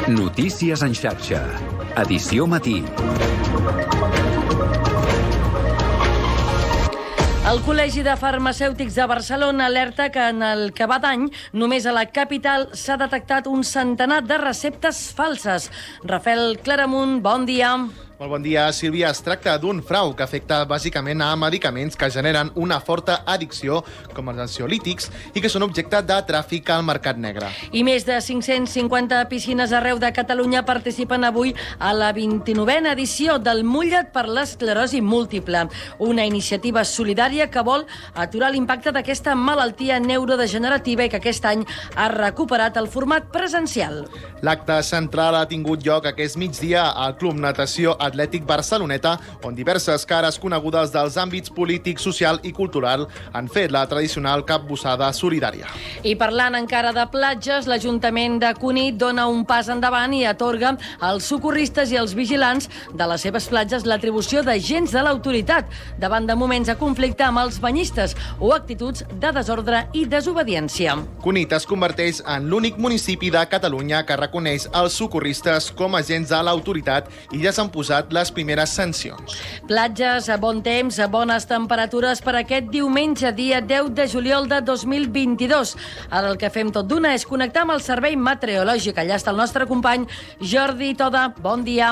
Notícies en xarxa. Edició matí. El Col·legi de Farmacèutics de Barcelona alerta que en el que va d'any només a la capital s'ha detectat un centenar de receptes falses. Rafael Claramunt, bon dia. Molt bon dia, Sílvia. Es tracta d'un frau que afecta bàsicament a medicaments que generen una forta addicció, com els ansiolítics, i que són objecte de tràfic al mercat negre. I més de 550 piscines arreu de Catalunya participen avui a la 29a edició del Mulla't per l'esclerosi múltiple, una iniciativa solidària que vol aturar l'impacte d'aquesta malaltia neurodegenerativa i que aquest any ha recuperat el format presencial. L'acte central ha tingut lloc aquest migdia al Club Natació Atlètic Barceloneta, on diverses cares conegudes dels àmbits polític, social i cultural han fet la tradicional capbussada solidària. I parlant encara de platges, l'Ajuntament de Cunit dona un pas endavant i atorga als socorristes i als vigilants de les seves platges l'atribució d'agents de l'autoritat davant de moments de conflicte amb els banyistes o actituds de desordre i desobediència. Cunit es converteix en l'únic municipi de Catalunya que reconeix els socorristes com a agents de l'autoritat i ja s'han posat les primeres sancions. Platges, bon temps, bones temperatures per aquest diumenge, dia 10 de juliol de 2022. Ara el que fem tot d'una és connectar amb el servei meteorològic. Allà està el nostre company Jordi Toda. Bon dia.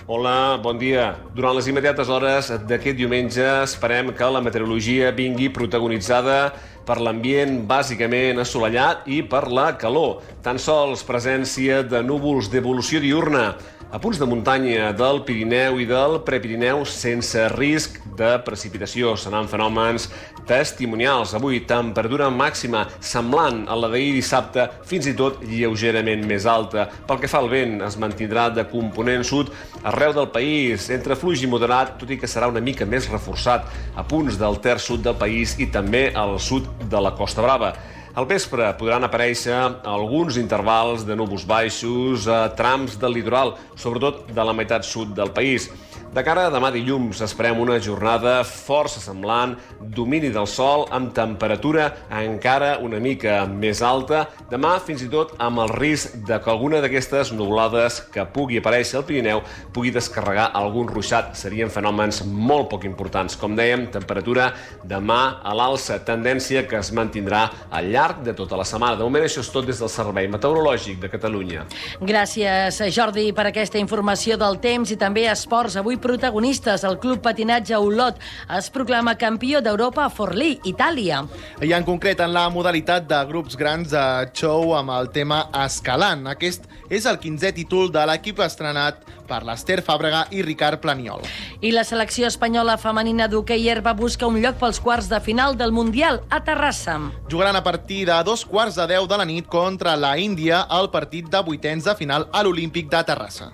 Hola, bon dia. Durant les immediates hores d'aquest diumenge esperem que la meteorologia vingui protagonitzada per l'ambient bàsicament assolellat i per la calor. Tan sols presència de núvols d'evolució diurna a punts de muntanya del Pirineu i del Prepirineu sense risc de precipitació. Seran fenòmens testimonials. Avui, temperatura màxima semblant a la d'ahir dissabte, fins i tot lleugerament més alta. Pel que fa al vent, es mantindrà de component sud arreu del país, entre fluix i moderat, tot i que serà una mica més reforçat a punts del terç sud del país i també al sud de la Costa Brava. Al vespre podran aparèixer alguns intervals de núvols baixos a trams del litoral, sobretot de la meitat sud del país. De cara a demà dilluns esperem una jornada força semblant, domini del sol amb temperatura encara una mica més alta. Demà fins i tot amb el risc de que alguna d'aquestes nuvolades que pugui aparèixer al Pirineu pugui descarregar algun ruixat. Serien fenòmens molt poc importants. Com dèiem, temperatura demà a l'alça, tendència que es mantindrà al llarg de tota la setmana. De moment això és tot des del Servei Meteorològic de Catalunya. Gràcies, Jordi, per aquesta informació del temps i també esports. Avui protagonistes, el Club Patinatge Olot es proclama campió d'Europa a Forlì, Itàlia. I en concret en la modalitat de grups grans de show amb el tema Escalant. Aquest és el 15è títol de l'equip estrenat per l'Ester Fàbrega i Ricard Planiol. I la selecció espanyola femenina d'hoquei herba busca un lloc pels quarts de final del Mundial a Terrassa. Jugaran a partir de 2:15 de la nit contra la Índia al partit de vuitens de final a l'Olímpic de Terrassa.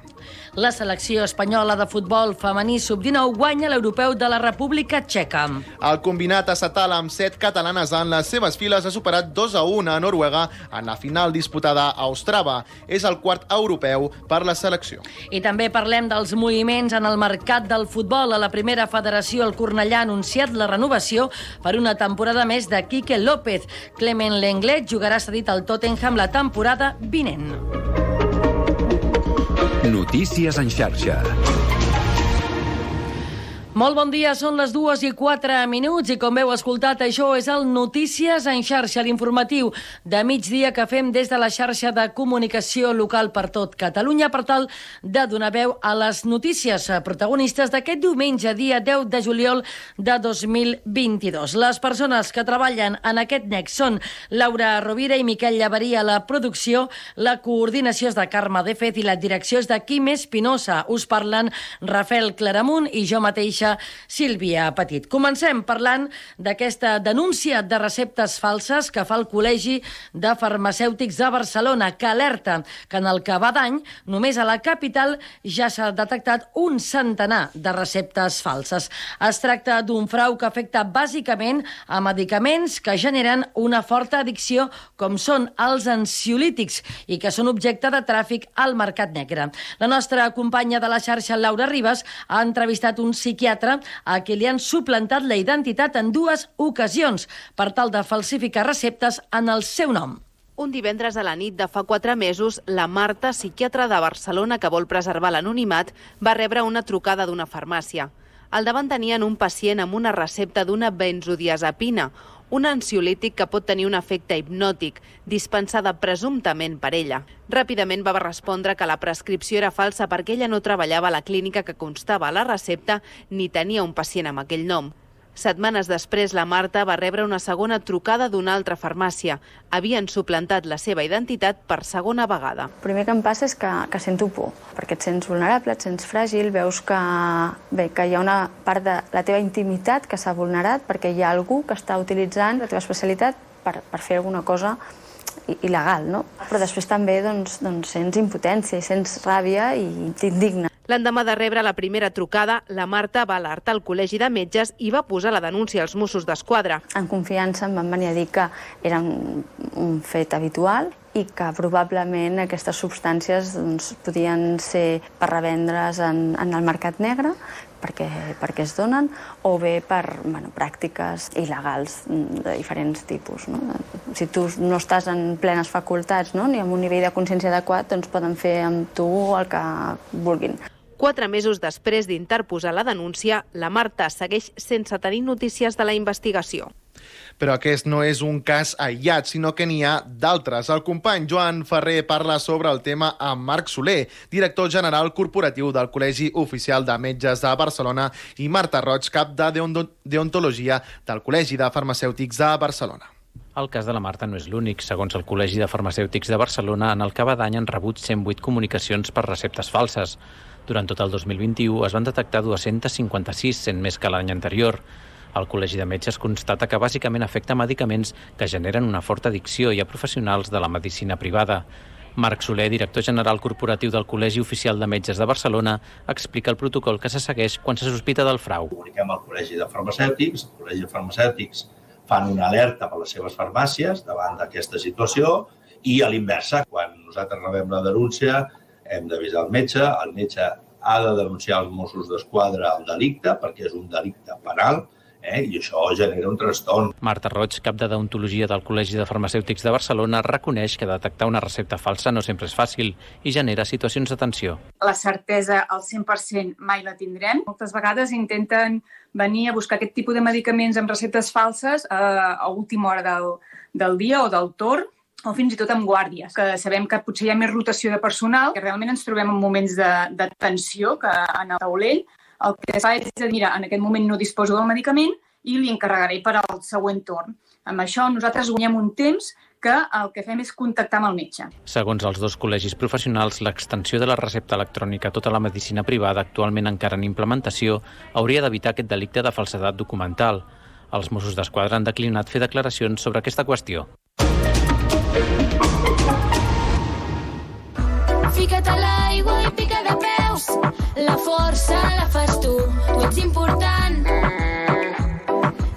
La selecció espanyola de futbol femení sub-19 guanya l'Europeu de la República Txeca. El combinat estatal amb 7 catalanes en les seves files ha superat 2-1 a Noruega en la final disputada a Ostrava. És el quart europeu per la selecció. I també parlem dels moviments en el mercat del futbol. A la primera federació, el Cornellà ha anunciat la renovació per una temporada més de Quique López. Clement Lenglet jugarà cedit al Tottenham la temporada vinent. Notícies en xarxa. Molt bon dia, són les 2:04 i com heu escoltat, això és el Notícies en xarxa, l'informatiu de migdia que fem des de la xarxa de comunicació local per tot Catalunya per tal de donar veu a les notícies protagonistes d'aquest diumenge, dia 10 de juliol de 2022. Les persones que treballen en aquest nex són Laura Rovira i Miquel Llavarí a la producció, la coordinació és de Carme de Fet i la direcció és de Quim Espinosa. Us parlen Rafael Claramunt i jo mateixa Sílvia Petit. Comencem parlant d'aquesta denúncia de receptes falses que fa el Col·legi de Farmacèutics de Barcelona, que alerta que en el que va d'any només a la capital ja s'ha detectat un centenar de receptes falses. Es tracta d'un frau que afecta bàsicament a medicaments que generen una forta addicció com són els ansiolítics i que són objecte de tràfic al mercat negre. La nostra companya de la xarxa, Laura Ribas, ha entrevistat un psiquiatre a qui li han suplantat la identitat en 2 ocasions per tal de falsificar receptes en el seu nom. Un divendres a la nit de fa 4 mesos, la Marta, psiquiatra de Barcelona que vol preservar l'anonimat, va rebre una trucada d'una farmàcia. Al davant tenien un pacient amb una recepta d'una benzodiazepina, un ansiolític que pot tenir un efecte hipnòtic, dispensada presumptament per ella. Ràpidament va respondre que la prescripció era falsa perquè ella no treballava a la clínica que constava a la recepta ni tenia un pacient amb aquell nom. Setmanes després, la Marta va rebre una segona trucada d'una altra farmàcia. Havien suplantat la seva identitat per segona vegada. El primer que em passa és que sento por, perquè et sents vulnerable, et sents fràgil, veus que hi ha una part de la teva intimitat que s'ha vulnerat perquè hi ha algú que està utilitzant la teva especialitat per fer alguna cosa il·legal, no? Però després també sents impotència i sents ràbia i t'indigna. L'endemà de rebre la primera trucada, la Marta va alertar el Col·legi de Metges i va posar la denúncia als Mossos d'Esquadra. En confiança em van venir a dir que era un fet habitual i que probablement aquestes substàncies podien ser per revendre's en el mercat negre, perquè es donen, o bé per pràctiques il·legals de diferents tipus. Si tu no estàs en plenes facultats ni amb un nivell de consciència adequat, doncs poden fer amb tu el que vulguin. 4 mesos després d'interposar la denúncia, la Marta segueix sense tenir notícies de la investigació. Però aquest no és un cas aïllat, sinó que n'hi ha d'altres. El company Joan Ferrer parla sobre el tema amb Marc Soler, director general corporatiu del Col·legi Oficial de Metges de Barcelona, i Marta Roig, cap de deontologia del Col·legi de Farmacèutics de Barcelona. El cas de la Marta no és l'únic. Segons el Col·legi de Farmacèutics de Barcelona, en el que va d'any han rebut 108 comunicacions per receptes falses. Durant tot el 2021 es van detectar 256, sent més que l'any anterior. El Col·legi de Metges constata que bàsicament afecta medicaments que generen una forta addicció i a professionals de la medicina privada. Marc Soler, director general corporatiu del Col·legi Oficial de Metges de Barcelona, explica el protocol que se segueix quan se sospita del frau. Comuniquem al Col·legi de Farmacèutics, el Col·legi de Farmacèutics fan una alerta per les seves farmàcies davant d'aquesta situació i a l'inversa, quan nosaltres rebem la denúncia, hem d'avisar el metge ha de denunciar als Mossos d'Esquadra el delicte, perquè és un delicte penal, i això genera un trastorn. Marta Roig, cap de deontologia del Col·legi de Farmacèutics de Barcelona, reconeix que detectar una recepta falsa no sempre és fàcil i genera situacions de tensió. La certesa al 100% mai la tindrem. Moltes vegades intenten venir a buscar aquest tipus de medicaments amb receptes falses a última hora del dia o del torn, o fins i tot amb guàrdies, que sabem que potser hi ha més rotació de personal, que realment ens trobem en moments de tensió que en el taulell. El que es fa és dir, mira, en aquest moment no disposo del medicament i li encarregaré per al següent torn. Amb això nosaltres guanyem un temps que el que fem és contactar amb el metge. Segons els dos col·legis professionals, l'extensió de la recepta electrònica a tota la medicina privada, actualment encara en implementació, hauria d'evitar aquest delicte de falsedat documental. Els Mossos d'Esquadra han declinat fer declaracions sobre aquesta qüestió. Fica't a l'aigua i pica de peus. La força la fas tu ets important.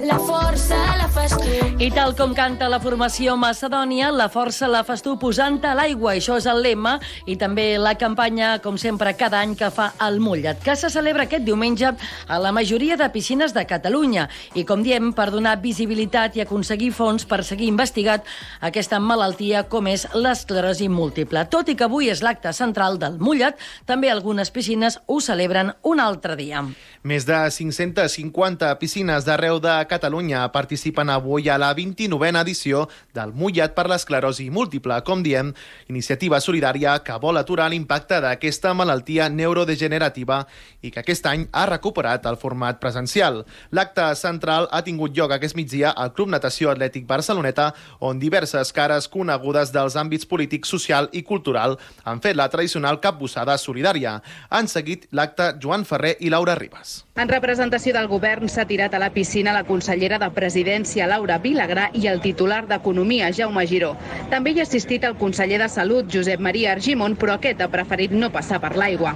La força la fas tu. I tal com canta la formació Macedònia, la força la fas tu posant-te a l'aigua. Això és el lema i també la campanya, com sempre, cada any que fa el Mullet, que se celebra aquest diumenge a la majoria de piscines de Catalunya. I, com diem, per donar visibilitat i aconseguir fons per seguir investigant aquesta malaltia com és l'esclerosi múltiple. Tot i que avui és l'acte central del Mullet, també algunes piscines ho celebren un altre dia. Més de 550 piscines d'arreu de Catalunya participen avui a la 29a edició del Mullet per l'esclerosi múltiple, com diem, iniciativa solidària que vol aturar l'impacte d'aquesta malaltia neurodegenerativa i que aquest any ha recuperat el format presencial. L'acte central ha tingut lloc aquest migdia al Club Natació Atlètic Barceloneta, on diverses cares conegudes dels àmbits polític, social i cultural han fet la tradicional capbussada solidària. Han seguit l'acte Joan Ferrer i Laura Ribas. En representació del govern s'ha tirat a la piscina la consellera de Presidència, Laura Vilagrà, i el titular d'Economia, Jaume Giró. També hi ha assistit el conseller de Salut, Josep Maria Argimon, però aquest ha preferit no passar per l'aigua.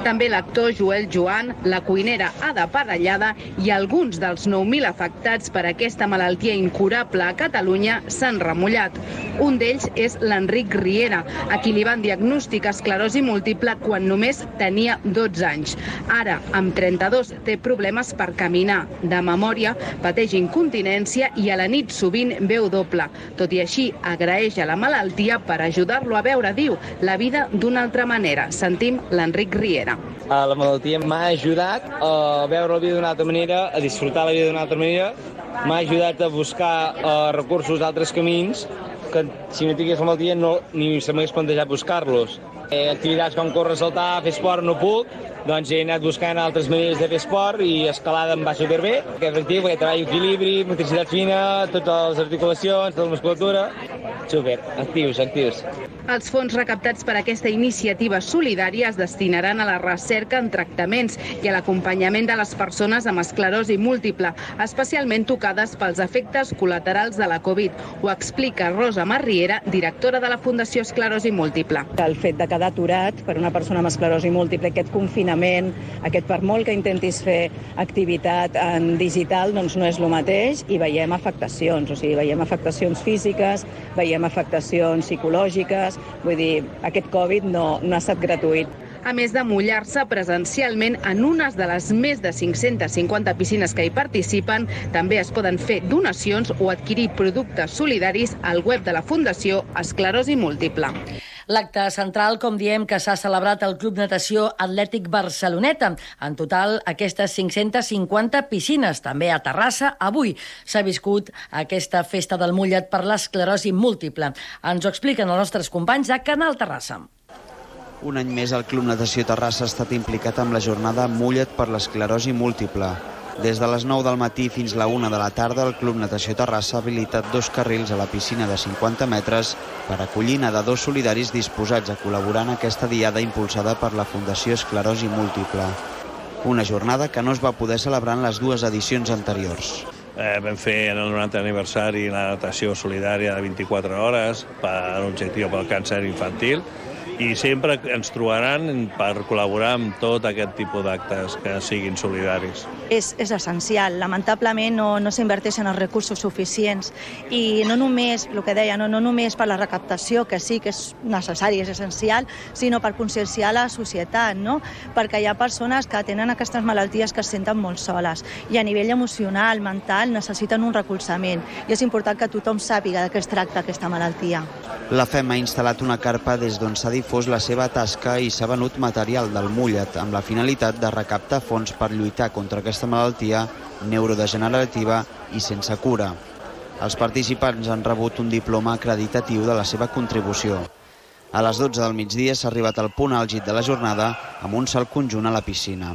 També l'actor Joel Joan, la cuinera Ada Parellada i alguns dels 9.000 afectats per aquesta malaltia incurable a Catalunya s'han remullat. Un d'ells és l'Enric Riera, a qui li van diagnosticar esclerosi múltiple quan només tenia 12 anys. Ara, amb 32, té problemes per caminar. De memòria, pateix incontinència i a la nit sovint veu doble. Tot i així, agraeix a la malaltia per ajudar-lo a veure, diu, la vida d'una altra manera. Sentim l'Enric Riera. La malaltia m'ha ajudat a veure la vida d'una altra manera, a disfrutar la vida d'una altra manera, m'ha ajudat a buscar recursos d'altres camins que si no tingués la malaltia ni se m'hagués plantejat buscar-los. Activitats com córrer, saltar, fer esport no puc, doncs he anat buscant altres maneres de fer esport i escalada em va superbé. Aquest actiu, perquè treballo equilibri, motricitat fina, totes les articulacions, tota la musculatura. Super, actius. Els fons recaptats per aquesta iniciativa solidària es destinaran a la recerca en tractaments i a l'acompanyament de les persones amb esclerosi múltiple, especialment tocades pels efectes col·laterals de la Covid. Ho explica Rosa Marriera, directora de la Fundació Esclerosi Múltiple. El fet de quedar aturat per una persona amb esclerosi múltiple, aquest confinament, per molt que intentis fer activitat en digital, doncs no és el mateix i veiem afectacions, veiem afectacions físiques, veiem afectacions psicològiques, vull dir, aquest Covid no ha estat gratuït. A més de mullar-se presencialment en unes de les més de 550 piscines que hi participen, també es poden fer donacions o adquirir productes solidaris al web de la Fundació Esclerosi Múltiple. L'acte central, com diem, que s'ha celebrat al Club Natació Atlètic Barceloneta. En total, aquestes 550 piscines. També a Terrassa, avui s'ha viscut aquesta festa del mullet per l'esclerosi múltiple. Ens ho expliquen els nostres companys de Canal Terrassa. Un any més, el Club Natació Terrassa ha estat implicat amb la jornada Mullet per l'esclerosi múltiple. Des de les 9 del matí fins la 1 de la tarda, el Club Natació Terrassa ha habilitat 2 carrils a la piscina de 50 metres per acollir nedadors solidaris disposats a col·laborar en aquesta diada impulsada per la Fundació Esclerosi Múltiple. Una jornada que no es va poder celebrar en les 2 edicions anteriors. Vam fer en el 90 aniversari la natació solidària de 24 hores per un objectiu pel càncer infantil i sempre ens trobaran per col·laborar amb tot aquest tipus d'actes que siguin solidaris. És essencial. Lamentablement no s'inverteixen els recursos suficients i no només, el que deia, no només per la recaptació, que sí que és necessari, és essencial, sinó per conscienciar la societat, no? Perquè hi ha persones que tenen aquestes malalties que es senten molt soles i a nivell emocional, mental, necessiten un recolzament i és important que tothom sàpiga de què es tracta aquesta malaltia. La FEM ha instal·lat una carpa des d'on s'ha difós la seva tasca i s'ha venut material del mullet amb la finalitat de recaptar fons per lluitar contra aquesta malaltia neurodegenerativa i sense cura. Els participants han rebut un diploma acreditatiu de la seva contribució. A les 12 del migdia s'ha arribat al punt àlgid de la jornada amb un salt conjunt a la piscina.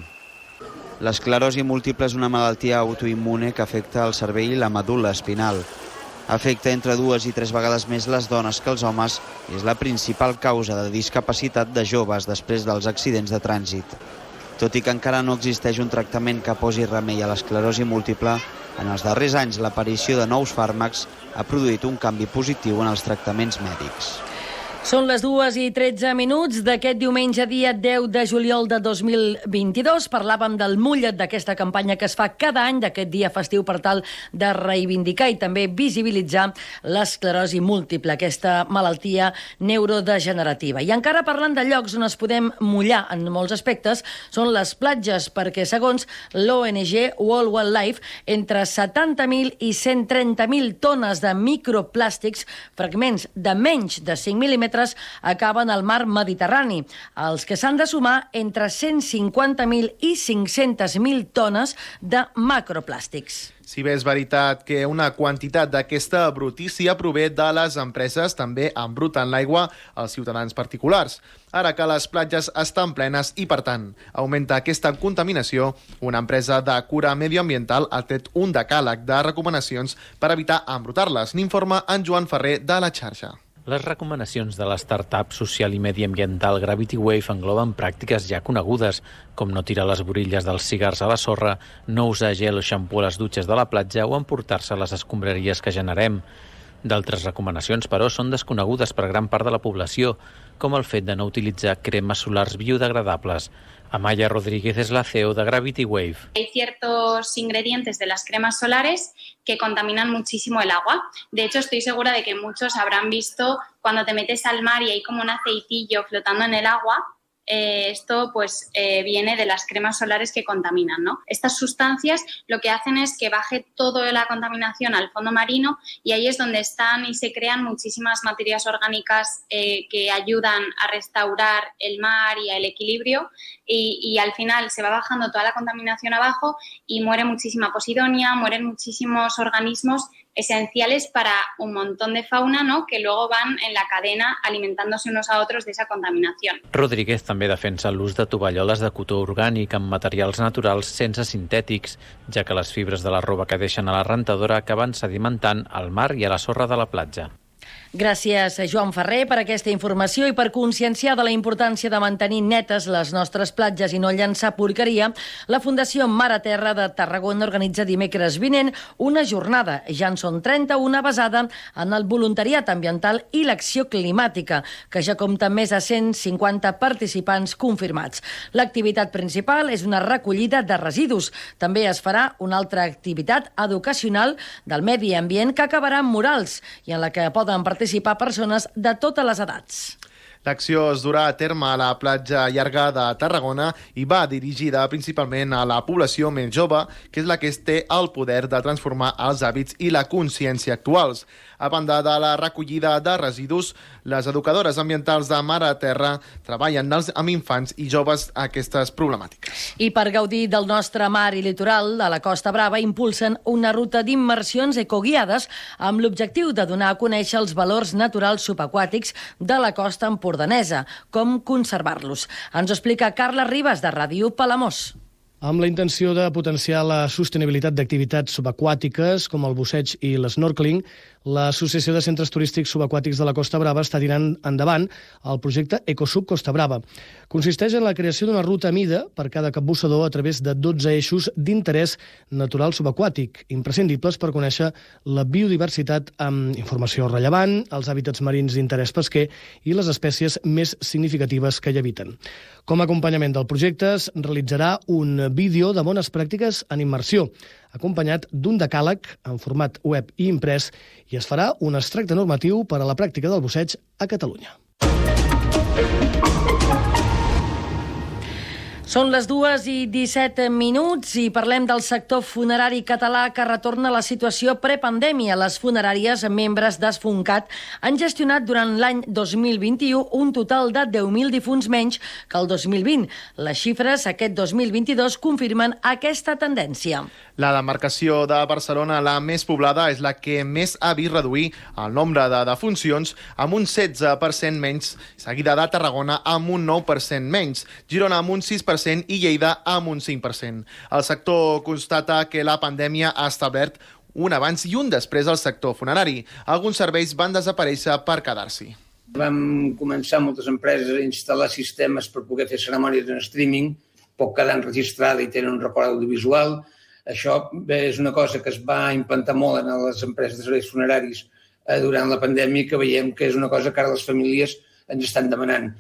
L'esclerosi múltiple és una malaltia autoimmune que afecta el cervell i la medul·la espinal. Afecta entre 2 i 3 vegades més les dones que els homes i és la principal causa de discapacitat de joves després dels accidents de trànsit. Tot i que encara no existeix un tractament que posi remei a l'esclerosi múltiple, en els darrers anys l'aparició de nous fàrmacs ha produït un canvi positiu en els tractaments mèdics. Són les 2:13 d'aquest diumenge, dia 10 de juliol de 2022. Parlàvem del mullet, d'aquesta campanya que es fa cada any d'aquest dia festiu per tal de reivindicar i també visibilitzar l'esclerosi múltiple, aquesta malaltia neurodegenerativa. I encara parlant de llocs on es podem mullar en molts aspectes, són les platges, perquè segons l'ONG World Wildlife, entre 70.000 i 130.000 tones de microplàstics, fragments de menys de 5 mil·límetres, acaben al mar Mediterrani, els que s'han de sumar entre 150.000 i 500.000 tones de macroplàstics. Si bé és veritat que una quantitat d'aquesta brutícia prové de les empreses, també embruten l'aigua als ciutadans particulars. Ara que les platges estan plenes i, per tant, augmenta aquesta contaminació, una empresa de cura medioambiental ha tret un decàleg de recomanacions per evitar embrutar-les. N'informa en Joan Ferrer de La Xarxa. Les recomanacions de l'startup social i mediambiental Gravity Wave engloben pràctiques ja conegudes, com no tirar les borilles dels cigars a la sorra, no usar gel o xampú a les dutxes de la platja o emportar-se les escombraries que generem. D'altres recomanacions, però, són desconegudes per gran part de la població, com el fet de no utilitzar cremes solars biodegradables. Amaya Rodríguez es la CEO de Gravity Wave. Hay ciertos ingredientes de las cremas solares que contaminan muchísimo el agua. De hecho, estoy segura de que muchos habrán visto cuando te metes al mar y hay como un aceitillo flotando en el agua. esto pues viene de las cremas solares que contaminan, ¿no? Estas sustancias lo que hacen es que baje toda la contaminación al fondo marino y ahí es donde están y se crean muchísimas materias orgánicas que ayudan a restaurar el mar y el equilibrio y al final se va bajando toda la contaminación abajo y muere muchísima posidonia, mueren muchísimos organismos esenciales para un montón de fauna, ¿no?, que luego van en la cadena alimentándose unos a otros de esa contaminación. Rodríguez també defensa l'ús de tovalloles de cotó orgànic amb materials naturals sense sintètics, ja que les fibres de la roba que deixen a la rentadora acaben sedimentant al mar i a la sorra de la platja. Gràcies, Joan Ferrer, per aquesta informació i per conscienciar de la importància de mantenir netes les nostres platges i no llançar porqueria. La Fundació Mar a Terra de Tarragona organitza dimecres vinent una jornada, ja en són 31, basada en el voluntariat ambiental i l'acció climàtica, que ja compta amb més de 150 participants confirmats. L'activitat principal és una recollida de residus. També es farà una altra activitat educacional del medi ambient que acabarà amb murals i en la que poden participar persones de totes les edats. L'acció es durà a terme a la platja llarga de Tarragona i va dirigida principalment a la població més jove, que és la que té el poder de transformar els hàbits i la consciència actuals. A banda de la recollida de residus, les educadores ambientals de Mar a Terra treballen amb infants i joves aquestes problemàtiques. I per gaudir del nostre mar i litoral, a la Costa Brava impulsen una ruta d'immersions ecoguiades amb l'objectiu de donar a conèixer els valors naturals subaquàtics de la costa empordanesa, com conservar-los. Ens ho explica Carla Ribas, de Ràdio Palamós. Amb la intenció de potenciar la sostenibilitat d'activitats subaquàtiques com el busseig i l'snorkeling, l'Associació de Centres Turístics Subaquàtics de la Costa Brava està tirant endavant el projecte Ecosub Costa Brava. Consisteix en la creació d'una ruta a mida per cada capbussador a través de 12 eixos d'interès natural subaquàtic, imprescindibles per conèixer la biodiversitat amb informació rellevant, els hàbitats marins d'interès pesquer i les espècies més significatives que hi habiten. Com a acompanyament del projecte es realitzarà un vídeo de bones pràctiques en immersió, acompanyat d'un decàleg en format web i imprès, i es farà un extracte normatiu per a la pràctica del busseig a Catalunya. Són les 2:17 i parlem del sector funerari català que retorna a la situació prepandèmia. Les funeràries, membres d'Esfuncat, han gestionat durant l'any 2021 un total de 10.000 difunts menys que el 2020. Les xifres aquest 2022 confirmen aquesta tendència. La demarcació de Barcelona, la més poblada, és la que més ha vist reduir el nombre de defuncions amb un 16% menys, seguida de Tarragona amb un 9% menys, Girona amb un 6% i Lleida amb un 5%. El sector constata que la pandèmia ha establert un abans i un després al sector funerari. Alguns serveis van desaparèixer per quedar-s'hi. Vam començar moltes empreses a instal·lar sistemes per poder fer cerimònies en streaming, pot quedar enregistrada i tenen un record audiovisual. Això és una cosa que es va implantar molt en les empreses de serveis funeraris durant la pandèmia, que veiem que és una cosa que ara les famílies ens estan demanant.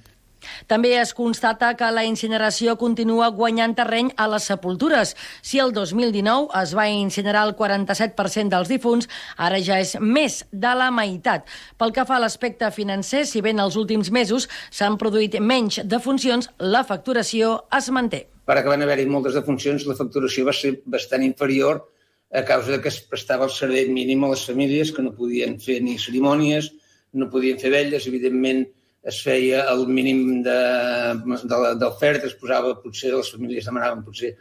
També es constata que la incineració continua guanyant terreny a les sepultures. Si el 2019 es va incinerar el 47% dels difunts, ara ja és més de la meitat. Pel que fa a l'aspecte financer, si bé en els últims mesos s'han produït menys defuncions, la facturació es manté. Per que van haver-hi moltes defuncions, la facturació va ser bastant inferior a causa que es prestava el servei mínim a les famílies, que no podien fer ni cerimònies, no podien fer vetlles, evidentment es feia el mínim d'oferta, es posava, potser les famílies demanaven potser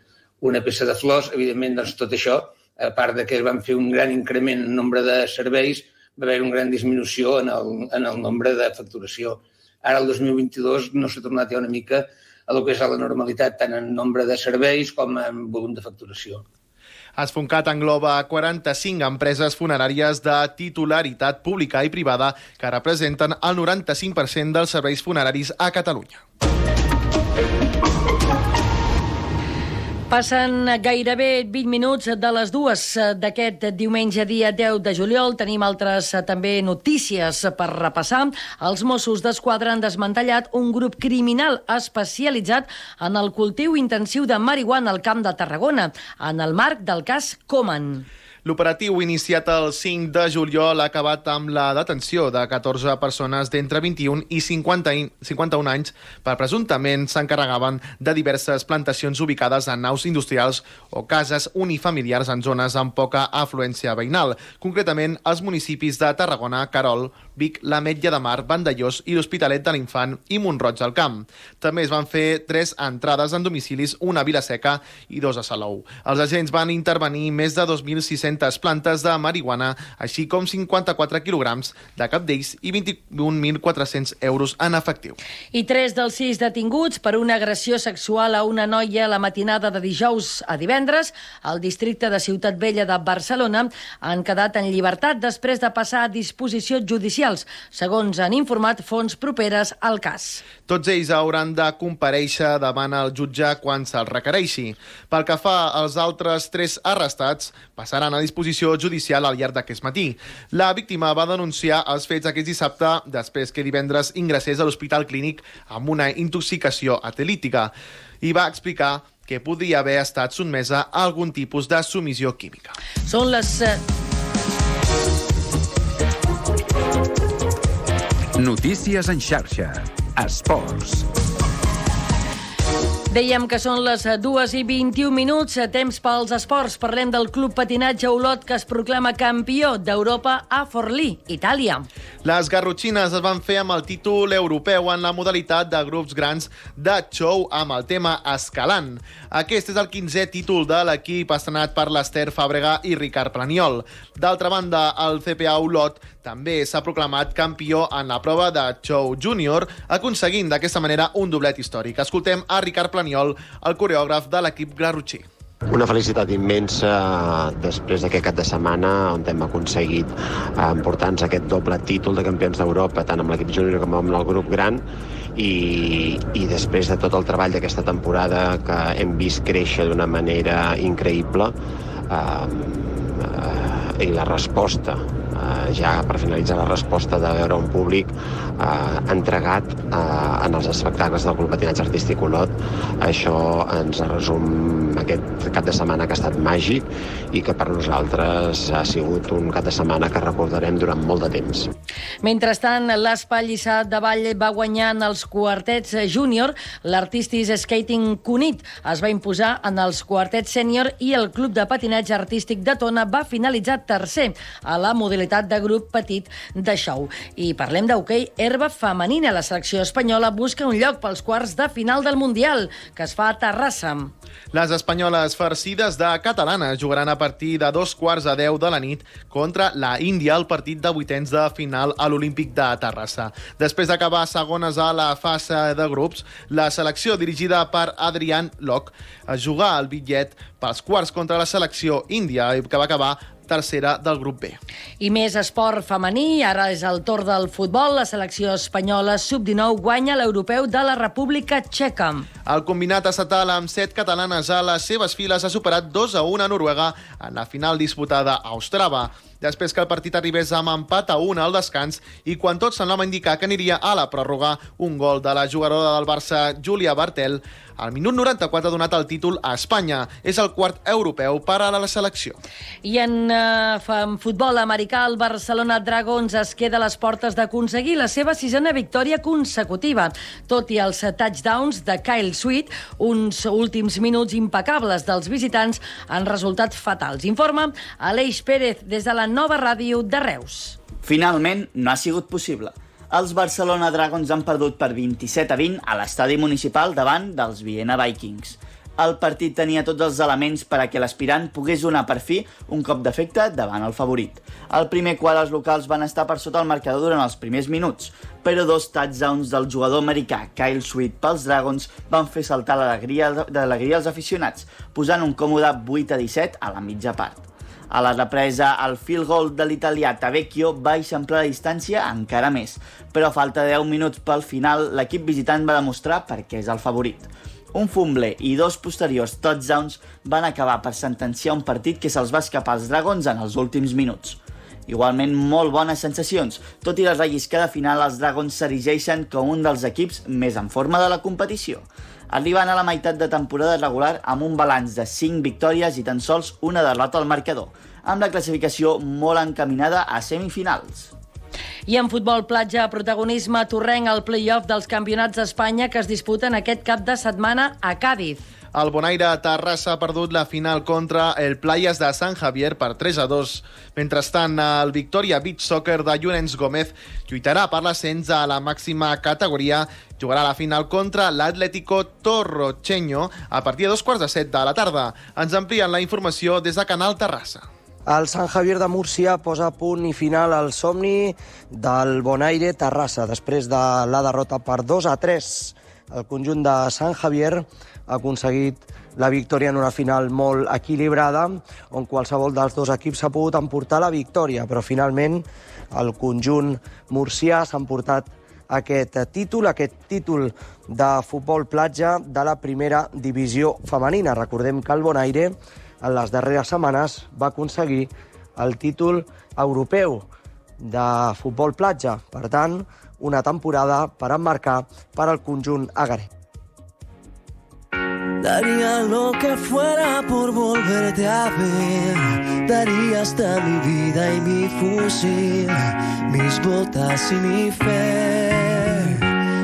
una peça de flors, evidentment doncs tot això, a part de que es van fer un gran increment en nombre de serveis, va haver una gran disminució en el nombre de facturació. Ara el 2022 no s'ha tornat ja una mica a el que és la normalitat, tant en nombre de serveis com en volum de facturació. Esfuncat engloba 45 empreses funeràries de titularitat pública i privada que representen el 95% dels serveis funeraris a Catalunya. Passen gairebé 20 minuts de les 2 d'aquest diumenge, dia 10 de juliol. Tenim altres també notícies per repassar. Els Mossos d'Esquadra han desmantellat un grup criminal especialitzat en el cultiu intensiu de marihuana al Camp de Tarragona, en el marc del cas Coman. L'operatiu iniciat el 5 de juliol ha acabat amb la detenció de 14 persones d'entre 21 i 51 anys per presumptament s'encarregaven de diverses plantacions ubicades en naus industrials o cases unifamiliars en zones amb poca afluència veïnal, concretament als municipis de Tarragona, Querol, Vic, l'Ametlla de Mar, Vandellós i l'Hospitalet de l'Infant i Mont-roig del Camp. També es van fer 3 entrades en domicilis, una a Vilaseca i 2 a Salou. Els agents van intervenir més de 2.600 plantes de marihuana, així com 54 quilograms de cap d'ells i 21.400 euros en efectiu. I 3 dels 6 detinguts per una agressió sexual a una noia la matinada de dijous a divendres al districte de Ciutat Vella de Barcelona han quedat en llibertat després de passar a disposicions judicials, segons han informat fonts properes al cas. Tots ells hauran de comparèixer davant el jutge quan se'ls requereixi. Pel que fa als altres 3 arrestats, passaran a disposició judicial al llarg d'aquest matí. La víctima va denunciar els fets aquest dissabte després que divendres ingressés a l'Hospital Clínic amb una intoxicació etilítica i va explicar que podria haver estat sotmesa a algun tipus de submissió química. Són les... Notícies en xarxa. Esports. Dèiem que són les 2:21, temps pels esports. Parlem del Club Patinatge Olot, que es proclama campió d'Europa a Forlì, Itàlia. Les garrotxines es van fer amb el títol europeu en la modalitat de grups grans de show amb el tema Escalant. Aquest és el 15è títol de l'equip estrenat per l'Ester Fàbrega i Ricard Planiol. D'altra banda, el CPA Olot també s'ha proclamat campió en la prova de show júnior, aconseguint d'aquesta manera un doblet històric. Escoltem a Ricard Planiol, el coreògraf de l'equip garrotxí. Una felicitat immensa després d'aquest cap de setmana on hem aconseguit emportar-nos aquest doble títol de campions d'Europa, tant amb l'equip júnior com amb el grup gran, i després de tot el treball d'aquesta temporada que hem vist créixer d'una manera increïble, i la resposta, ja per finalitzar la resposta de veure un públic entregat en els espectacles del Club Patinatge Artístic Olot. Això ens resum aquest cap de setmana que ha estat màgic i que per nosaltres ha sigut un cap de setmana que recordarem durant molt de temps. Mentrestant, l'Espai Lliçat de Vall va guanyar en els quartets júnior. L'Artistis Skating Cunit es va imposar en els quartets sènior i el Club de Patinatge Artístic de Tona va finalitzar tercer a la modalitat de grup petit de show. I parlem d'hoquei herba femenina. La selecció espanyola busca un lloc pels quarts de final del Mundial, que es fa a Terrassa. Les espanyoles farcides de Catalana jugaran a partir de 2:15 de la nit contra la Índia al partit de vuitens de final a l'Olímpic de Terrassa. Després d'acabar segones a la fase de grups, la selecció dirigida per Adrián Locke es jugà el bitllet pels quarts contra la selecció índia, que va acabar tercera del grup B. I més esport femení, ara és el torn del futbol. La selecció espanyola sub-19 guanya l'europeu de la República Txeca. El combinat estatal amb 7 catalanes a les seves files ha superat 2-1 a Noruega en la final disputada a Ostrava. Després que el partit arribés amb empat a 1 al descans i quan tot semblava indicar que aniria a la pròrroga, un gol de la jugadora del Barça, Júlia Bartel, al minut 94 ha donat el títol a Espanya. És el quart europeu per a la selecció. I en futbol americà, el Barcelona Dragons es queda a les portes d'aconseguir la seva 6a victòria consecutiva. Tot i els touchdowns de Kyle Sweet, uns últims minuts impecables dels visitants han resultat fatals. Informa Aleix Pérez des de la Nova Ràdio de Reus. Finalment, no ha sigut possible. Els Barcelona Dragons han perdut per 27-20 a l'estadi municipal davant dels Viena Vikings. El partit tenia tots els elements per a que l'aspirant pogués donar per fi un cop d'efecte davant el favorit. Al primer quart els locals van estar per sota el marcador durant els primers minuts, però 2 touchdowns del jugador americà Kyle Sweet pels Dragons van fer saltar l'alegria als aficionats, posant un còmode 8-17 a la mitja part. A la represa, el field goal de l'italià Tavecchio va eixamplar la distància encara més, però a falta de 10 minuts pel final, l'equip visitant va demostrar per què és el favorit. Un fumble i 2 posteriors touchdowns van acabar per sentenciar un partit que se'ls va escapar als Dragons en els últims minuts. Igualment, molt bones sensacions. Tot i la relliscada final, els Dragons s'erigeixen com un dels equips més en forma de la competició. Arriben a la meitat de temporada regular amb un balanç de 5 victòries i tan sols una derrota al marcador, amb la classificació molt encaminada a semifinals. I en futbol platja, protagonisme torrenc al play-off dels campionats d'Espanya que es disputen aquest cap de setmana a Càdiz. El Bonaire Terrassa ha perdut la final contra el Playas de Sant Javier per 3-2. Mentrestant, el Victoria Beach Soccer de Llorenç Gómez lluitarà per l'ascens a la màxima categoria. Jugarà la final contra l'Atlético Torrocheño a partir de 6:45 de la tarda. Ens amplien la informació des de Canal Terrassa. El Sant Javier de Múrcia posa punt i final al somni del Bonaire Terrassa després de la derrota per 2-3. El conjunt de Sant Javier ha aconseguit la victòria en una final molt equilibrada, on qualsevol dels dos equips s'ha pogut emportar la victòria, però finalment el conjunt murcià s'ha emportat aquest títol de futbol platja de la primera divisió femenina. Recordem que el Bonaire en les darreres setmanes va aconseguir el títol europeu de futbol platja. Per tant, una temporada per emmarcar per al conjunt agaret. Daría lo que fuera por volverte a ver. Daría hasta mi vida y mi fusil, mis botas y mi fe.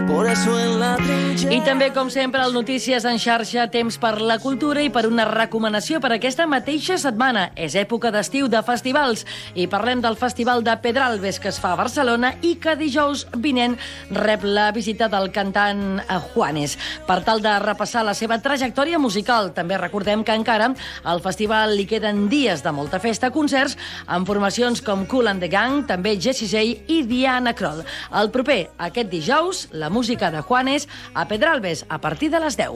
Por eso en la trinchera... I també, com sempre, al Notícies en xarxa, temps per la cultura i per una recomanació per aquesta mateixa setmana. És època d'estiu de festivals i parlem del Festival de Pedralbes que es fa a Barcelona i que dijous vinent rep la visita del cantant Juanes. Per tal de repassar la seva trajectòria musical, també recordem que encara al festival li queden dies de molta festa, concerts amb formacions com Kool and the Gang, també Jessie J i Diana Krall. El proper, aquest dijous, la música de Juanes a Pedralbes a partir de les 10.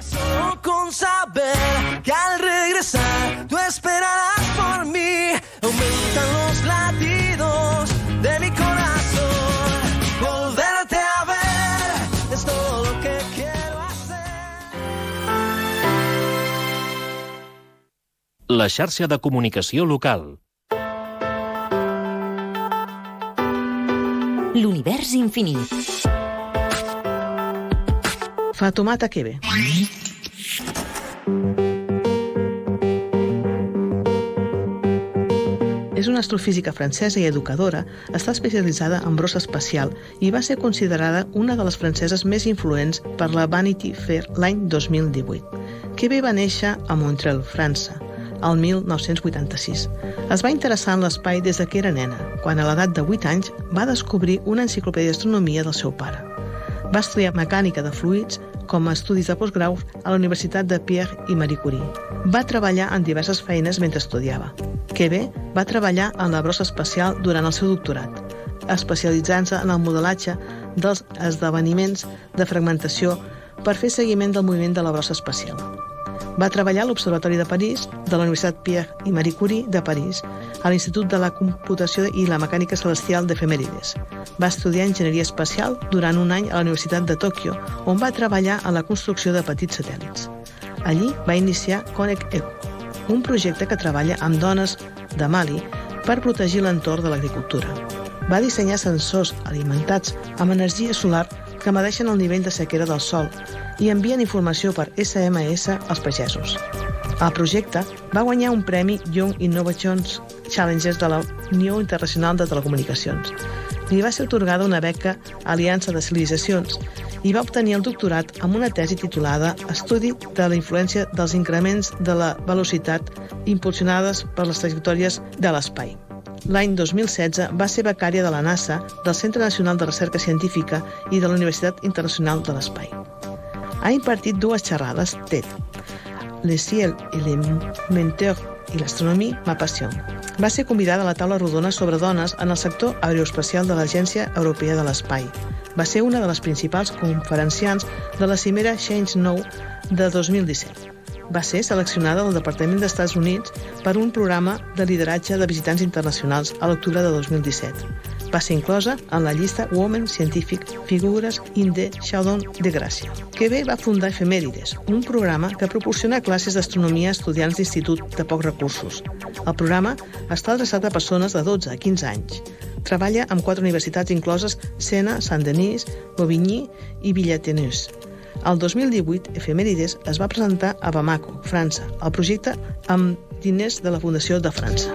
Solo con saber que al regresar tú esperarás por mí, aumentan los latidos de mi corazón. Volverte a ver es todo lo que quiero hacer. La xarxa de comunicació local. L'univers infinit. Fatoumata Kebe. És una astrofísica francesa i educadora, està especialitzada en brossa espacial i va ser considerada una de les franceses més influents per la Vanity Fair l'any 2018. Kebe va néixer a Montreal, França, el 1986. Es va interessar en l'espai des de que era nena, quan a l'edat de 8 anys va descobrir una enciclopèdia d'astronomia del seu pare. Va estudiar mecànica de fluids com a estudis de postgrau a la Universitat de Pierre i Marie Curie. Va treballar en diverses feines mentre estudiava. Kebe va treballar en la brossa espacial durant el seu doctorat, especialitzant-se en el modelatge dels esdeveniments de fragmentació per fer seguiment del moviment de la brossa espacial. Va treballar a l'Observatori de París, de la Universitat Pierre i Marie Curie de París, a l'Institut de la Computació i la Mecànica Celestial d'Efemèrides. Va estudiar enginyeria espacial durant un any a la Universitat de Tòquio, on va treballar en la construcció de petits satèl·lits. Allí va iniciar Connect Eco, un projecte que treballa amb dones de Mali per protegir l'entorn de l'agricultura. Va dissenyar sensors alimentats amb energia solar que medeixen el nivell de sequera del sòl i envien informació per SMS als pagesos. El projecte va guanyar un premi Young Innovations Challenges de la Unió Internacional de Telecomunicacions. Li va ser atorgada una beca Aliança de Civilitzacions i va obtenir el doctorat amb una tesi titulada Estudi de la influència dels increments de la velocitat impulsionades per les trajectòries de l'espai. L'any 2016 va ser becària de la NASA, del Centre Nacional de Recerca Científica i de la Universitat Internacional de l'Espai. Ha impartit 2 xerrades TED. Le ciel et les menteurs i l'astronomia m'apassionen. Va ser convidada a la taula rodona sobre dones en el sector aeroespacial de l'Agència Europea de l'Espai. Va ser una de les principals conferenciants de la cimera Change Now de 2017. Va ser seleccionada del Departament d'Estats Units per un programa de lideratge de visitants internacionals a l'octubre de 2017. Va ser inclosa en la llista Women Scientific Figures in the Shadow de Gràcia. QB va fundar Efemèrides, un programa que proporciona classes d'astronomia a estudiants d'institut de pocs recursos. El programa està adreçat a persones de 12 a 15 anys. Treballa amb 4 universitats incloses Sena, Saint-Denis, Bobigny i Villatenus. El 2018, Efemèrides es va presentar a Bamako, França, el projecte amb diners de la Fundació de França.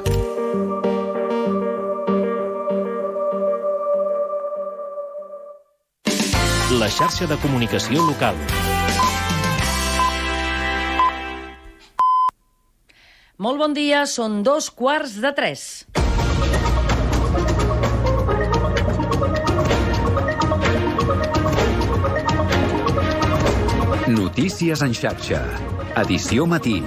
La xarxa de comunicació local. Molt bon dia, són 2:15. Notícies en xarxa. Edició matí.